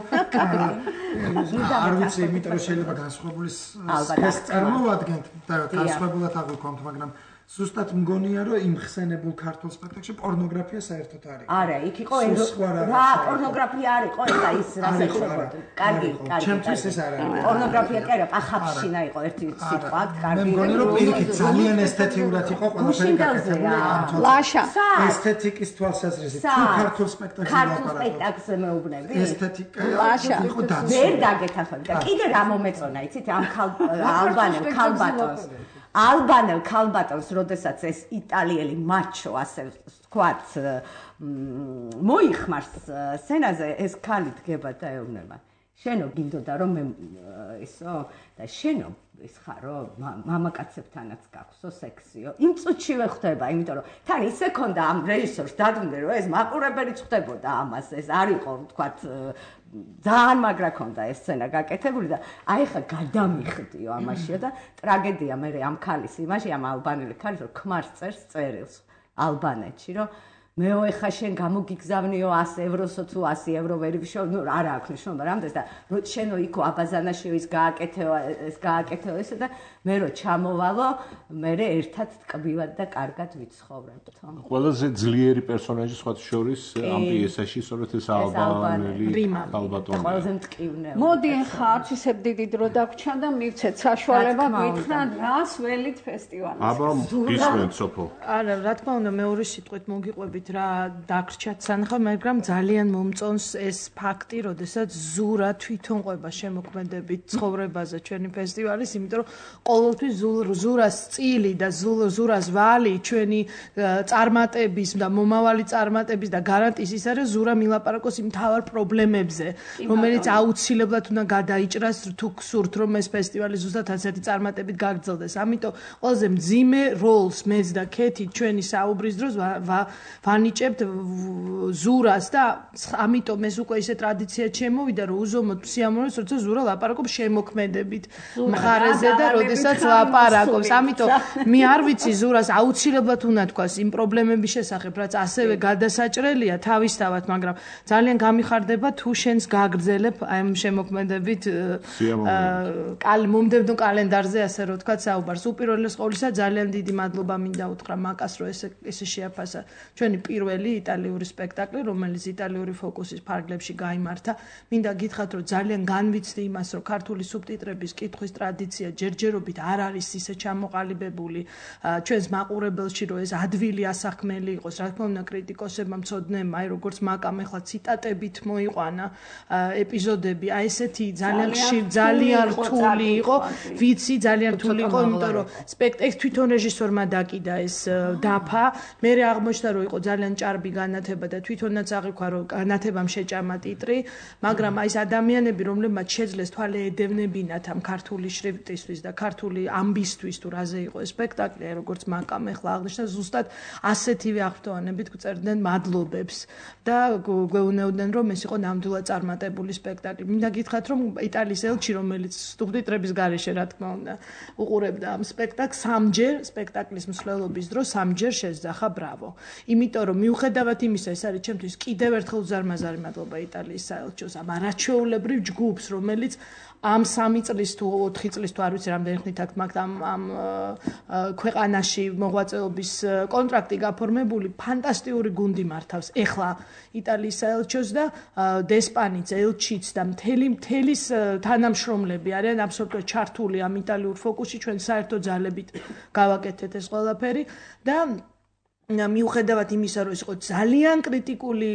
არ ვიცი, იმიტომ რომ შეიძლება განსხვავებული სპეცს წარმოვადგენთ და განსხვავებულად აღვიქვამთ, მაგრამ ზუსტად მგონია, რომ იმ ხსენებულ ქართულ სპექტაკლში პორნოგრაფია საერთოდ არ იყო. არა, იქ იყო რა პორნოგრაფია არ იყო, ეხლა ის რას ეხება. კარგი, კარგი. ჩემთვის ეს არ არის. პორნოგრაფია კი არა, პახაფშინა იყო ერთი სიტყვა, კარგი. მე მგონი, რომ პირიქით ძალიან ესთეთიურად იყო ყველაფერი გაკეთებული. ლაშა. ესთეტიკის თვალსაზრისით თუ ქართულ სპექტაკლში ქართულ სპექტაკლზე მეუბნები. ესთეტიკა იყო დაცული. ვერ დაგეთანხმები და კიდე რა მომეწონა, იცით, ამ ალბანელ ქალბატონს. ალბანელ ქალბატონს, როდესაც ეს იტალიელი მაჩო, ასე ვთქვათ, მოიხმარს სცენაზე, ეს ქალი დგება და ეუბნება. შენო გინდოდა რომ მე ისო და შენო ის ხარო მამაკაცებთანაც გაქვსო სექსიო. იმ წუთშივე ხდება, იმიტომ რომ თან ისე ქონდა ამ რეჟისორს დადგმული, რომ ეს მაყურებელიც ხდებოდა ამას, ეს არ იყო, ვთქვათ, ძალიან მაგრა ქონდა ეს სცენა გაკეთებული და აი ხა გადამიხდიო ამაშია და ტრაგედია მე ამ ქალის იმაში, ამ ალბანელი ქალის, რომ ქმარს წერს წერილს ალბანეთში, რომ მეო ეხა შენ გამოგიგზავნიო ას ევროსო თუ ასი ევრო ვერ ვიშო, ნუ არა აქვს ნიშნობა რამდენს და რო შენო იქო აბაზანაში ის გააკეთეო ეს გააკეთეო ესე და მე რო ჩამოვალო, მე ერთად ტკბივად და კარგად ვიცხოვრებთ. ყველაზე ძლიერი პერსონაჟი სხვა შორის ამ პიესაში სწორედ ეს ალბანელი ქალბატონია. ყველაზე მტკივნეული. მოდი ახლა არც ისე დიდი დრო დაგვრჩა და მივცეთ საშუალება გითხრათ რას ველით ფესტივალზე. აბა გისმენთ სოფო. არა, რა თქმა უნდა, მეორე სიტყვით მოგიყვებით რა დაგრჩათ სანახავ, მაგრამ ძალიან მომწონს ეს ფაქტი, როდესაც ზურა თვითონ ყვება შემოქმედებით ცხოვრებაზე ჩვენი ფესტივალის, იმიტომ რომ ყოველთვის ზურას წილი და ზურას ვალი ჩვენი წარმატების და მომავალი წარმატების და გარანტიის ის არის, ზურა მილაპარაკოს იმ თავარ პრობლემებზე, რომელიც აუცილებლად უნდა გადაიჭრას თუ გსურთ, რომ ეს ფესტივალი ზუსტად ასეთი წარმატებით გაგრძელდეს. ამიტომ ყველაზე მძიმე როლს მეც და ქეთი ჩვენი საუბრის დროს ვანიჭებთ ზურას და ამიტომ ეს უკვე ისე ტრადიცია შემოვიდა, რომ უზომოდ სიამოვნებს, როცა ზურა ლაპარაკობს შემოქმედებით მხარეზე და როდესაც ლაპარაკობს. ამიტომ მე არ ვიცი ზურას აუცილებლად უნდა თქვას იმ პრობლემების შესახებ, რაც ასევე გადასაჭრელია თავისთავად, მაგრამ ძალიან გამიხარდება თუ შენს გაგრძელებ ამ შემოქმედებით მომდევნო კალენდარზე, ასე რომ ვთქვათ, საუბარს. უპირველეს ყოვლისა ძალიან დიდი მადლობა მინდა უთხრა მაკას, რომ ესე ესე შეაფასა ჩვენი პირველი იტალიური სპექტაკლი, რომელიც იტალიური ფოკუსის ფარგლებში გაიმართა. მინდა გითხრათ, რომ ძალიან განვიცდი იმას, რომ ქართული სუბტიტრების კითხვის ტრადიცია ჯერჯერობით არ არის ისე ჩამოყალიბებული ჩვენს მაყურებელში, რომ ეს ადვილი ასახმელი იყოს. რა თქმა უნდა, კრიტიკოსებმა მცოდნემ, აი როგორც მაკამ ახლა ციტატებით მოიყვანა ეპიზოდები, აი ესეთი ძალიან ხშირ ძალიან რთული იყო, ვიცი, ძალიან რთული იყო, იმიტომ რომ სპექტაკლს თვითონ რეჟისორმა დაკიდა ეს დაფა, მე აღმოჩნდა, რომ იყო ძალიან ჭარბი განათება და თვითონაც აღიქვა რომ განათებამ შეჭამა ტიტრი, მაგრამ აი ეს ადამიანები რომლებმაც შეძლეს თვალე ედევნებინათ ამ ქართული შრიფტისთვის და ქართული ამბისთვის თუ რაზე იყო ეს სპექტაკლი, როგორც მაკამ ახლა აღნიშნა, ზუსტად ასეთივე აღფრთოვანებით გწერდნენ მადლობებს და გვეუბნებოდნენ რომ ეს იყო ნამდვილად წარმატებული სპექტაკლი. მინდა გითხრათ რომ იტალიის ელჩი რომელიც სუბტიტრების გარეშე რა თქმა უნდა უყურებდა ამ სპექტაკლს სამჯერ სპექტაკლის მსვლელობის დროს სამჯერ შეძახა ბრავო. იმიტომ რომ მიუხედავად იმისა ეს არის ჩემთვის კიდევ ერთხელ უზარმაზარი მადლობა იტალიის საელჩოს ამ არაჩვეულებრივ ჯგუფს რომელიც ამ სამი წლის თუ ოთხი წლის თუ არ ვიცი რამდენი ხნით აქვს მაგ ამ ამ ქვეყანაში მოღვაწეობის კონტრაქტი გაფორმებული ფანტასტიკური გუნდი მართავს ეხლა იტალიის საელჩოს და დესპანიც ელჩიც და მთელი მთელის თანამშრომლები არიან აბსოლუტურად ჩართული ამ იტალიურ ფოკუსში ჩვენ საერთო ძალებით გავაკეთეთ ეს ყველაფერი და მიუხედავად იმისა რომ ეს იყო ძალიან კრიტიკული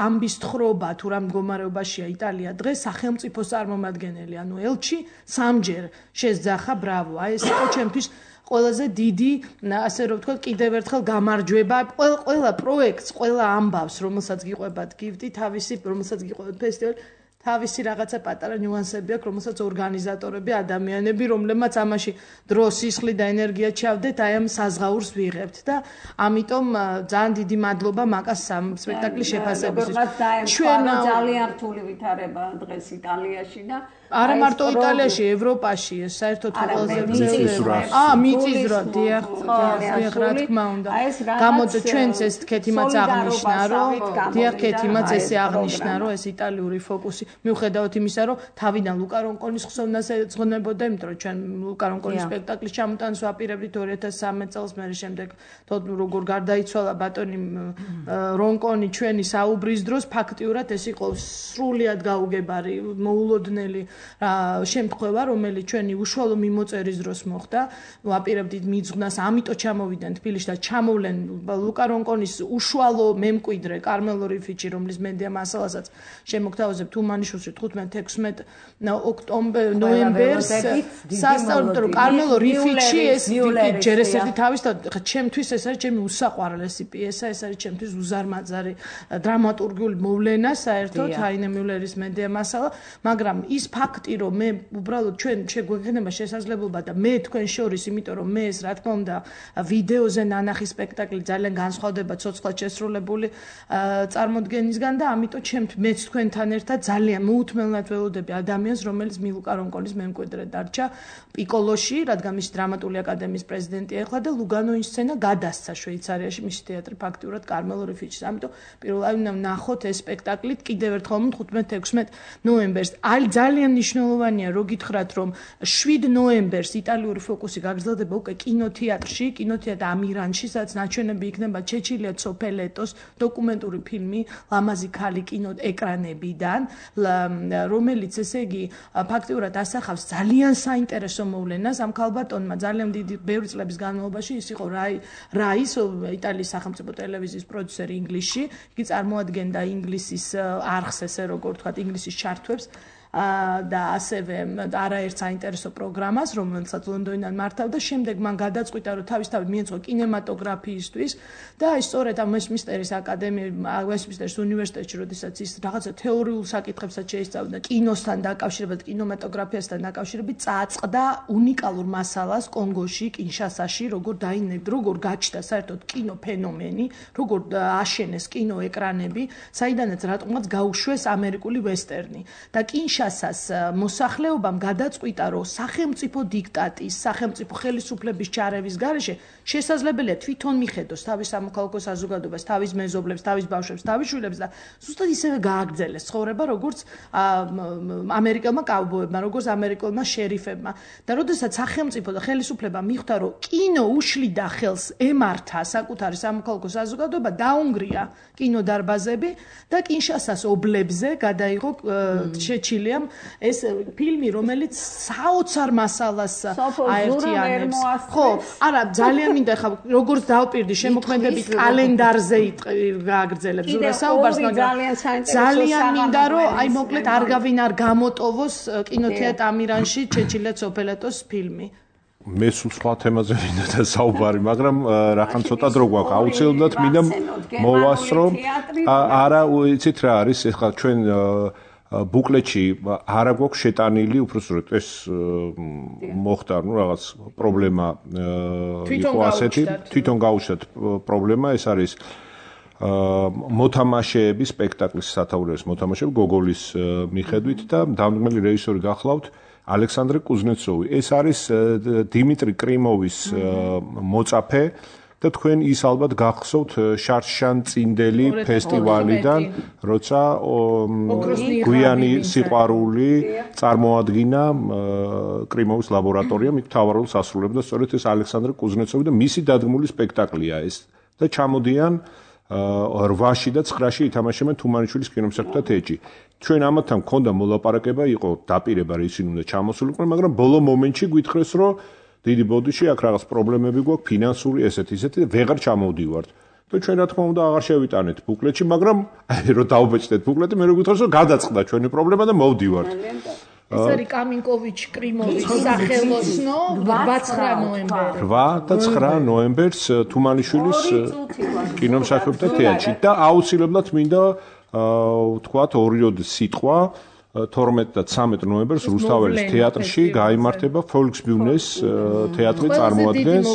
ამბის თხრობა თუ რა მდგომარეობაშია იტალია დღეს სახელმწიფოს წარმომადგენელი ანუ ელჩი სამჯერ შეძახა ბრავო აი ეს იყო ჩემთვის ყველაზე დიდი ასე რომ ვთქვათ კიდევ ერთხელ გამარჯვება ყველა პროექტს ყველა ამბავს რომელსაც გიყვებათ გიფტი თავისი რომელსაც გიყვებათ ფესტივალი თავისი რაღაცა პატარა ნიუანსები აქვს, რომელსაც ორგანიზატორები, ადამიანები, რომლებმაც ამაში დრო, სისხლი და ენერგია ჩავდეთ, აი ამ საზღაურს ვიღებთ და ამიტომ ძალიან დიდი მადლობა მაკას ამ სპექტაკლის შეფასებისთვის. ჩვენ ძალიან რთული ვითარება დღეს იტალიაში და არა მარტო იტალიაში, ევროპაში, ეს საერთოდ ყველაზე ძნელია. აა, მიწისძვრა, დიახ, დიახ, რა თქმა უნდა. გამოდი ჩვენც ეს ქეთიმაც აღნიშნა, რომ დიახ, ქეთიმაც ესე აღნიშნა, რომ ეს იტალიური ფოკუსი მიუხედავად იმისა, რომ თავიდან ლუკა რონკონის ხსოვნას ეძღვნებოდა, იმიტომ რომ ჩვენ ლუკა რონკონის სპექტაკლის ჩამოტანას ვაპირებდით ორი ათას სამი წელს, მერე შემდეგ თოთ როგორ გარდაიცვალა ბატონი რონკონი ჩვენი საუბრის დროს, ფაქტიურად ეს იყო სრულიად გაუგებარი, მოულოდნელი შემთხვევა, რომელიც ჩვენი უშუალო მიმოწერის დროს მოხდა, ვაპირებდით მიძღვნას, ამიტომ ჩამოვიდნენ თბილისში და ჩამოვლენ ლუკა რონკონის უშუალო მემკვიდრე კარმელო რიფიჩი, რომლის მედია მასალასაც შემოგთავაზებთ თუმანიშვილში თხუთმეტ ექვსმეტ ოქტომბერ ნოემბერს სასწავლო კარმელო რიფიჩი ეს ჯერ ეს ერთი თავის და ჩემთვის ეს არის ჩემი უსაყვარლესი პიესა, ეს არის ჩემთვის უზარმაზარი დრამატურგიული მოვლენა საერთოდ ჰაინე მიულერის მედია მასალა, მაგრამ ის ფაქტი რომ მე უბრალოდ ჩვენ შეგვექნება შესაძლებლობა და მე თქვენ შორის, იმიტომ რომ მე ეს რა თქმა უნდა ვიდეოზე ნანახი სპექტაკლი ძალიან განსხვავდება ცოცხლად შესრულებული წარმოდგენისგან და ამიტომ ჩემთ მეც თქვენთან ერთად ძალიან მოუთმელნად ველოდები ადამიანს, რომელიც მილუკა რონკონის მემკვიდრე დარჩა პიკოლოში, რადგან მისი დრამატული აკადემიის პრეზიდენტი ახლა და ლუგანოის სცენა გადასცა შვეიცარიაში, მისი თეატრი ფაქტიურად კარმელო რიფიჩის. ამიტომ პირველად უნდა ნახოთ ეს სპექტაკლი კიდევ ერთხელ თხუთმეტ ექვსმეტ ნოემბერს. აი ძალიან მნიშვნელოვანია რო გითხრათ რომ შვიდ ნოემბერს იტალიური ფოკუსი გაგრძელდება უკვე კინოთეატრში, კინოთეატრ ამირანში, სადაც ნაჩვენები იქნება ჩეჩილია ცოფელეტოს დოკუმენტური ფილმი ლამაზი ქალი კინოეკრანებიდან, რომელიც ესე იგი ფაქტიურად ასახავს ძალიან საინტერესო მოვლენას ამ ქალბატონმა ძალიან დიდი ბევრი წლების განმავლობაში ის იყო რაი რაის იტალიის სახელმწიფო ტელევიზიის პროდიუსერი ინგლისში, იგი წარმოადგენდა ინგლისის არხს ესე როგორ ვთქვათ ინგლისის ჩართვებს და ასევე არაერთ საინტერესო პროგრამას, რომელსაც ლონდონიდან მართავდა, შემდეგ მან გადაწყვიტა, რომ თავისთავად მიეწყო კინემატოგრაფიისთვის და აი სწორედ ამ ვესტმინსტერის აკადემია, ვესტმინსტერის უნივერსიტეტში, როდესაც ის რაღაცა თეორიულ საკითხებსაც შეისწავლიდა კინოსთან დაკავშირებით, კინემატოგრაფიასთან დაკავშირებით, წააწყდა უნიკალურ მასალას კონგოში, კინშასაში, როგორ დაინერგდა, როგორ გაჩნდა საერთოდ კინოფენომენი, როგორ აშენეს კინოეკრანები, საიდანაც რატომაც გაუშვეს ამერიკული ვესტერნი და კინშა კინშასას მოსახლეობამ გადაწყვიტა, რომ სახელმწიფო დიქტატის, სახელმწიფო ხელისუფლების ჩარევის გარეშე შესაძლებელია თვითონ მიხედოს თავის სამოქალაქო საზოგადოებას, თავის მეზობლებს, თავის ბავშვებს, თავის შვილებს და ზუსტად ისევე გააგრძელეს ცხოვრება, როგორც ამერიკელმა კაუბოებმა, როგორც ამერიკელმა შერიფებმა. და როდესაც სახელმწიფო და ხელისუფლება მიხვდა, რომ კინო უშლიდა ხელს ემართა საკუთარი სამოქალაქო საზოგადოება, დაუნგრია კინოდარბაზები და კინშასას ობლებზე გადაიღო შეჩილი ეს ფილმი, რომელიც საოცარ მასალას აერთიანებს. ხო, არა, ძალიან მინდა ხა როგორც დავპირდი შემოქმედებით კალენდარზე გააგრძელებს ზურა საუბარს, მაგრამ ძალიან მინდა რომ აი მოკლედ არ გავინ არ გამოტოვოს კინოთეატრ ამირანში ჩეჩილია ცოფელეტოს ფილმი. მე სულ სხვა თემაზე მინდა და საუბარი, მაგრამ რახან ცოტა დრო გვაქვს. აუცილებლად მინდა მოვასწრო. არა, იცით რა არის, ეხლა ჩვენ ბუკლეტში არა გვაქვს შეტანილი, უბრალოდ ეს მოხდა, ну რაღაც პრობლემა იყო ასეთი, თვითონ გაუჩნდათ პრობლემა, ეს არის მოთამაშეების სპექტაკლის სათაურების მოთამაშეები გოგოლის მიხედვით და დამდგმელი რეჟისორი გახლავთ ალექსანდრე კუზნეცოვი. ეს არის დიმიტრი კრიმოვის მოწაფე და თქვენ ის ალბათ გახსოვთ შარშან წინდელი ფესტივალიდან, როცა გვიანი სიყვარული წარმოადგინა კრიმოვის ლაბორატორიამ, იქ მთავარ როლს ასრულებდა სწორედ ეს ალექსანდრე კუზნეცოვი და მისი დადგმული სპექტაკლია ეს. და ჩამოდიან რვაში და ცხრაში ითამაშებენ თუმანიშვილის კინომსახიობთა თეატრში. ჩვენ ამათთან მქონდა მოლაპარაკება, იყო დაპირება, რომ ისინი უნდა ჩამოსულიყვნენ, მაგრამ ბოლო მომენტში გვითხრეს, რომ დიდი ბოდიში აქ რაღაც პრობლემები გვაქვს, ფინანსური ესეთი, ისეთი და ვეღარ ჩამოვდივართ. და ჩვენ რა თქმა უნდა აღარ შევიტანეთ ბუკლეტში, მაგრამ აი რომ დაუბეჭდეთ ბუკლეტი, მე რო გითხრეს, რომ გადაწყდა ჩვენი პრობლემა და მოვდივართ. ეს არის კამინკოვიჩ კრიმოვის სახელოსნო რვა ნოემბერი. რვა და ცხრა ნოემბერს თუმანიშვილის კინომსახიობთა თეატრში და აუცილებლად მინდა ვთქვათ ორი სიტყვა თორმეტ და ცამეტ ნოემბერს რუსთაველის თეატრში გაიმართება Volksbühnes თეატრი წარმოადგენს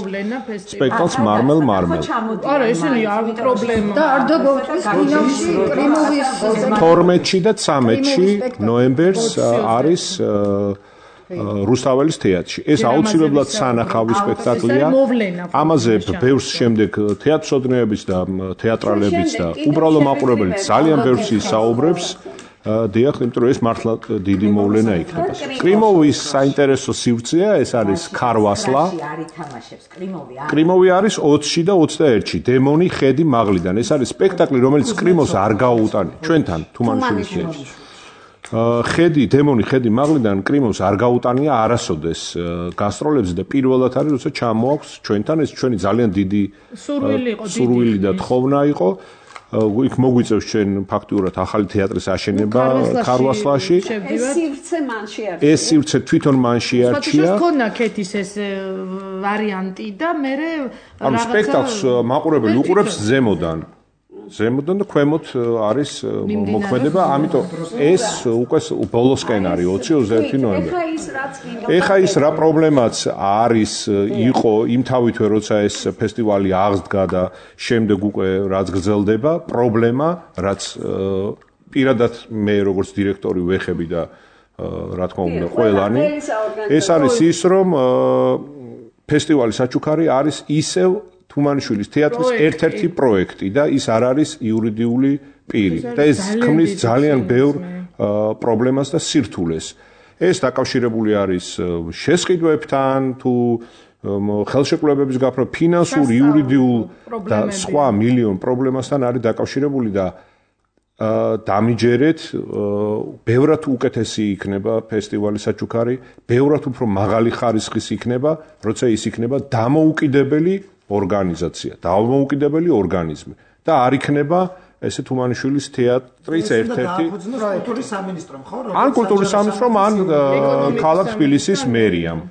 სპექტაკლს მარმელ მარმელ. არა, ესენი არ პრობლემა. და არ დაგავწვის კინოში კრიმოვის თორმეტში და ცამეტში ნოემბერს არის რუსთაველის თეატრში. ეს აუცილებლად სანახავი სპექტაკლია. ამაზე ბევრს შემდეგ თეატრსოდნეების და თეატრალებიც და უბრალო მაყურებელიც ძალიან ბევრს ისაუბრებს. დიახ, იმიტომ რომ ეს მართლა დიდი მოვლენა იქნება. კრიმოვის საინტერესო სივრცეა, ეს არის ქარვასლა. კრიმოვი არის ოცში და ოცდაერთში. დემონი ხედი მაღლიდან. ეს არის სპექტაკლი, რომელიც კრიმოვს არ გაუუტანია. ჩვენთან თუმანიშვილის თეატრში. ხედი, დემონი ხედი მაღლიდან კრიმოვს არ გაუტანია არასოდეს გასტროლებზე და პირველად არის, როცა ჩამოაქვს ჩვენთან, ეს ჩვენი ძალიან დიდი სურვილი და თხოვნა იყო. იქ მოგვიწევს ჩვენ ფაქტიურად ახალი თეატრის აშენება ქარვასლაში. ეს სივრცე მან შეარჩია. ეს სივრცე თვითონ მან შეარჩია. საერთოდ ქონა ქეთის ეს ვარიანტი და მე ანუ სპექტაკლს მაყურებელი უყურებს ზემოდან. ზემოდან და ქვემოთ არის მოქმედება, ამიტომ ეს უკვე ბოლოსკენ არის ოცი ოცდაერთი ნოემბერი. ეხა ის რა პრობლემაც არის იყო იმ თავითვე როცა ეს ფესტივალი აღსდგა და შემდეგ უკვე რაც გრძელდება, პრობლემა, რაც პირადად მე როგორც დირექტორი ვეხები და რა თქმა უნდა ყველანი, ეს არის ის რომ ფესტივალი საჩუქარი არის ისევ თუმანიშვილის თეატრის ერთ-ერთი პროექტი და ის არ არის იურიდიული პირი და ეს ქმნის ძალიან ბევრ პრობლემას და სირთულეს. ეს დაკავშირებული არის შესყიდვებთან, თუ ხელშეკრულებების გაფრთხილება, ფინანსურ, იურიდიულ და სხვა მილიონ პრობლემასთან არის დაკავშირებული და დამიჯერეთ, ბევრად უკეთესი იქნება ფესტივალი საჩუქარი, ბევრად უფრო მაღალი ხარისხის იქნება, როცა ის იქნება დამოუკიდებელი ორგანიზაცია, დამოუკიდებელი ორგანიზმი და არ იქნება ესე თუმანიშვილის თეატრის ერთ-ერთი კულტურის სამინისტრომ, ხო? ან კულტურის სამინისტრომ, ან ქალაქ თბილისის მერიამ,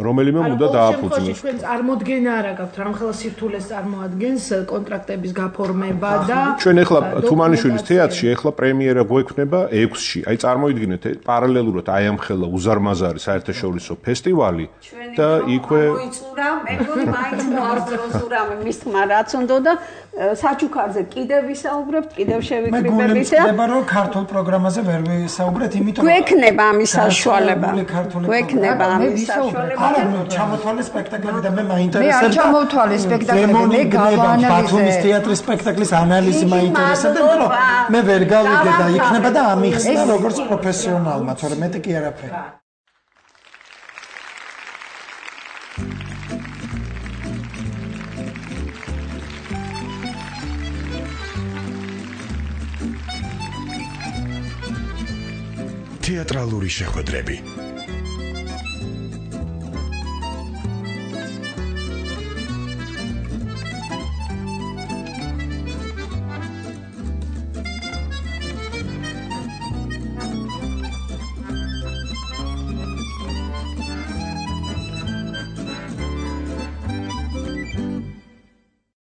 რომელიმე უნდა დააფუძნოს. ჩვენ წარმოდგენა არა გაქვთ, რამხელა სირთულეს წარმოადგენს კონტრაქტების გაფორმება და ჩვენ ახლა თუმანიშვილის თეატრში ახლა პრემიერა გვექნება ექვსში. აი წარმოიდგინეთ პარალელურად აი ამ ხელა უზარმაზარი საერთაშორისო ფესტივალი და იქვე მოიწურა, მეგონი მაინც მოარწროსურა მის თმა რაც უნდა და საჩუქარზე კიდევ ვისაუბრებთ, კიდევ შევიკრიბებით და მე მგონი რომ ქართულ პროგრამაზე ვერ ვისაუბრეთ, იმიტომ რომ გვექნება ამის საშუალება. გვექნება ამის საშუალება. არა, ნუ ჩამოთვალე სპექტაკლები და მე მე არ მაინტერესებს. ჩამოთვალე სპექტაკლები, მე გავანალიზე. ბათუმის თეატრის სპექტაკლის ანალიზი მაინტერესებს, იმიტომ რომ მე ვერ გავიგე და იქნება და ამიხსნა როგორც პროფესიონალმა, თორემ მეტი კი არაფერი. თეატრალური შეხვედრები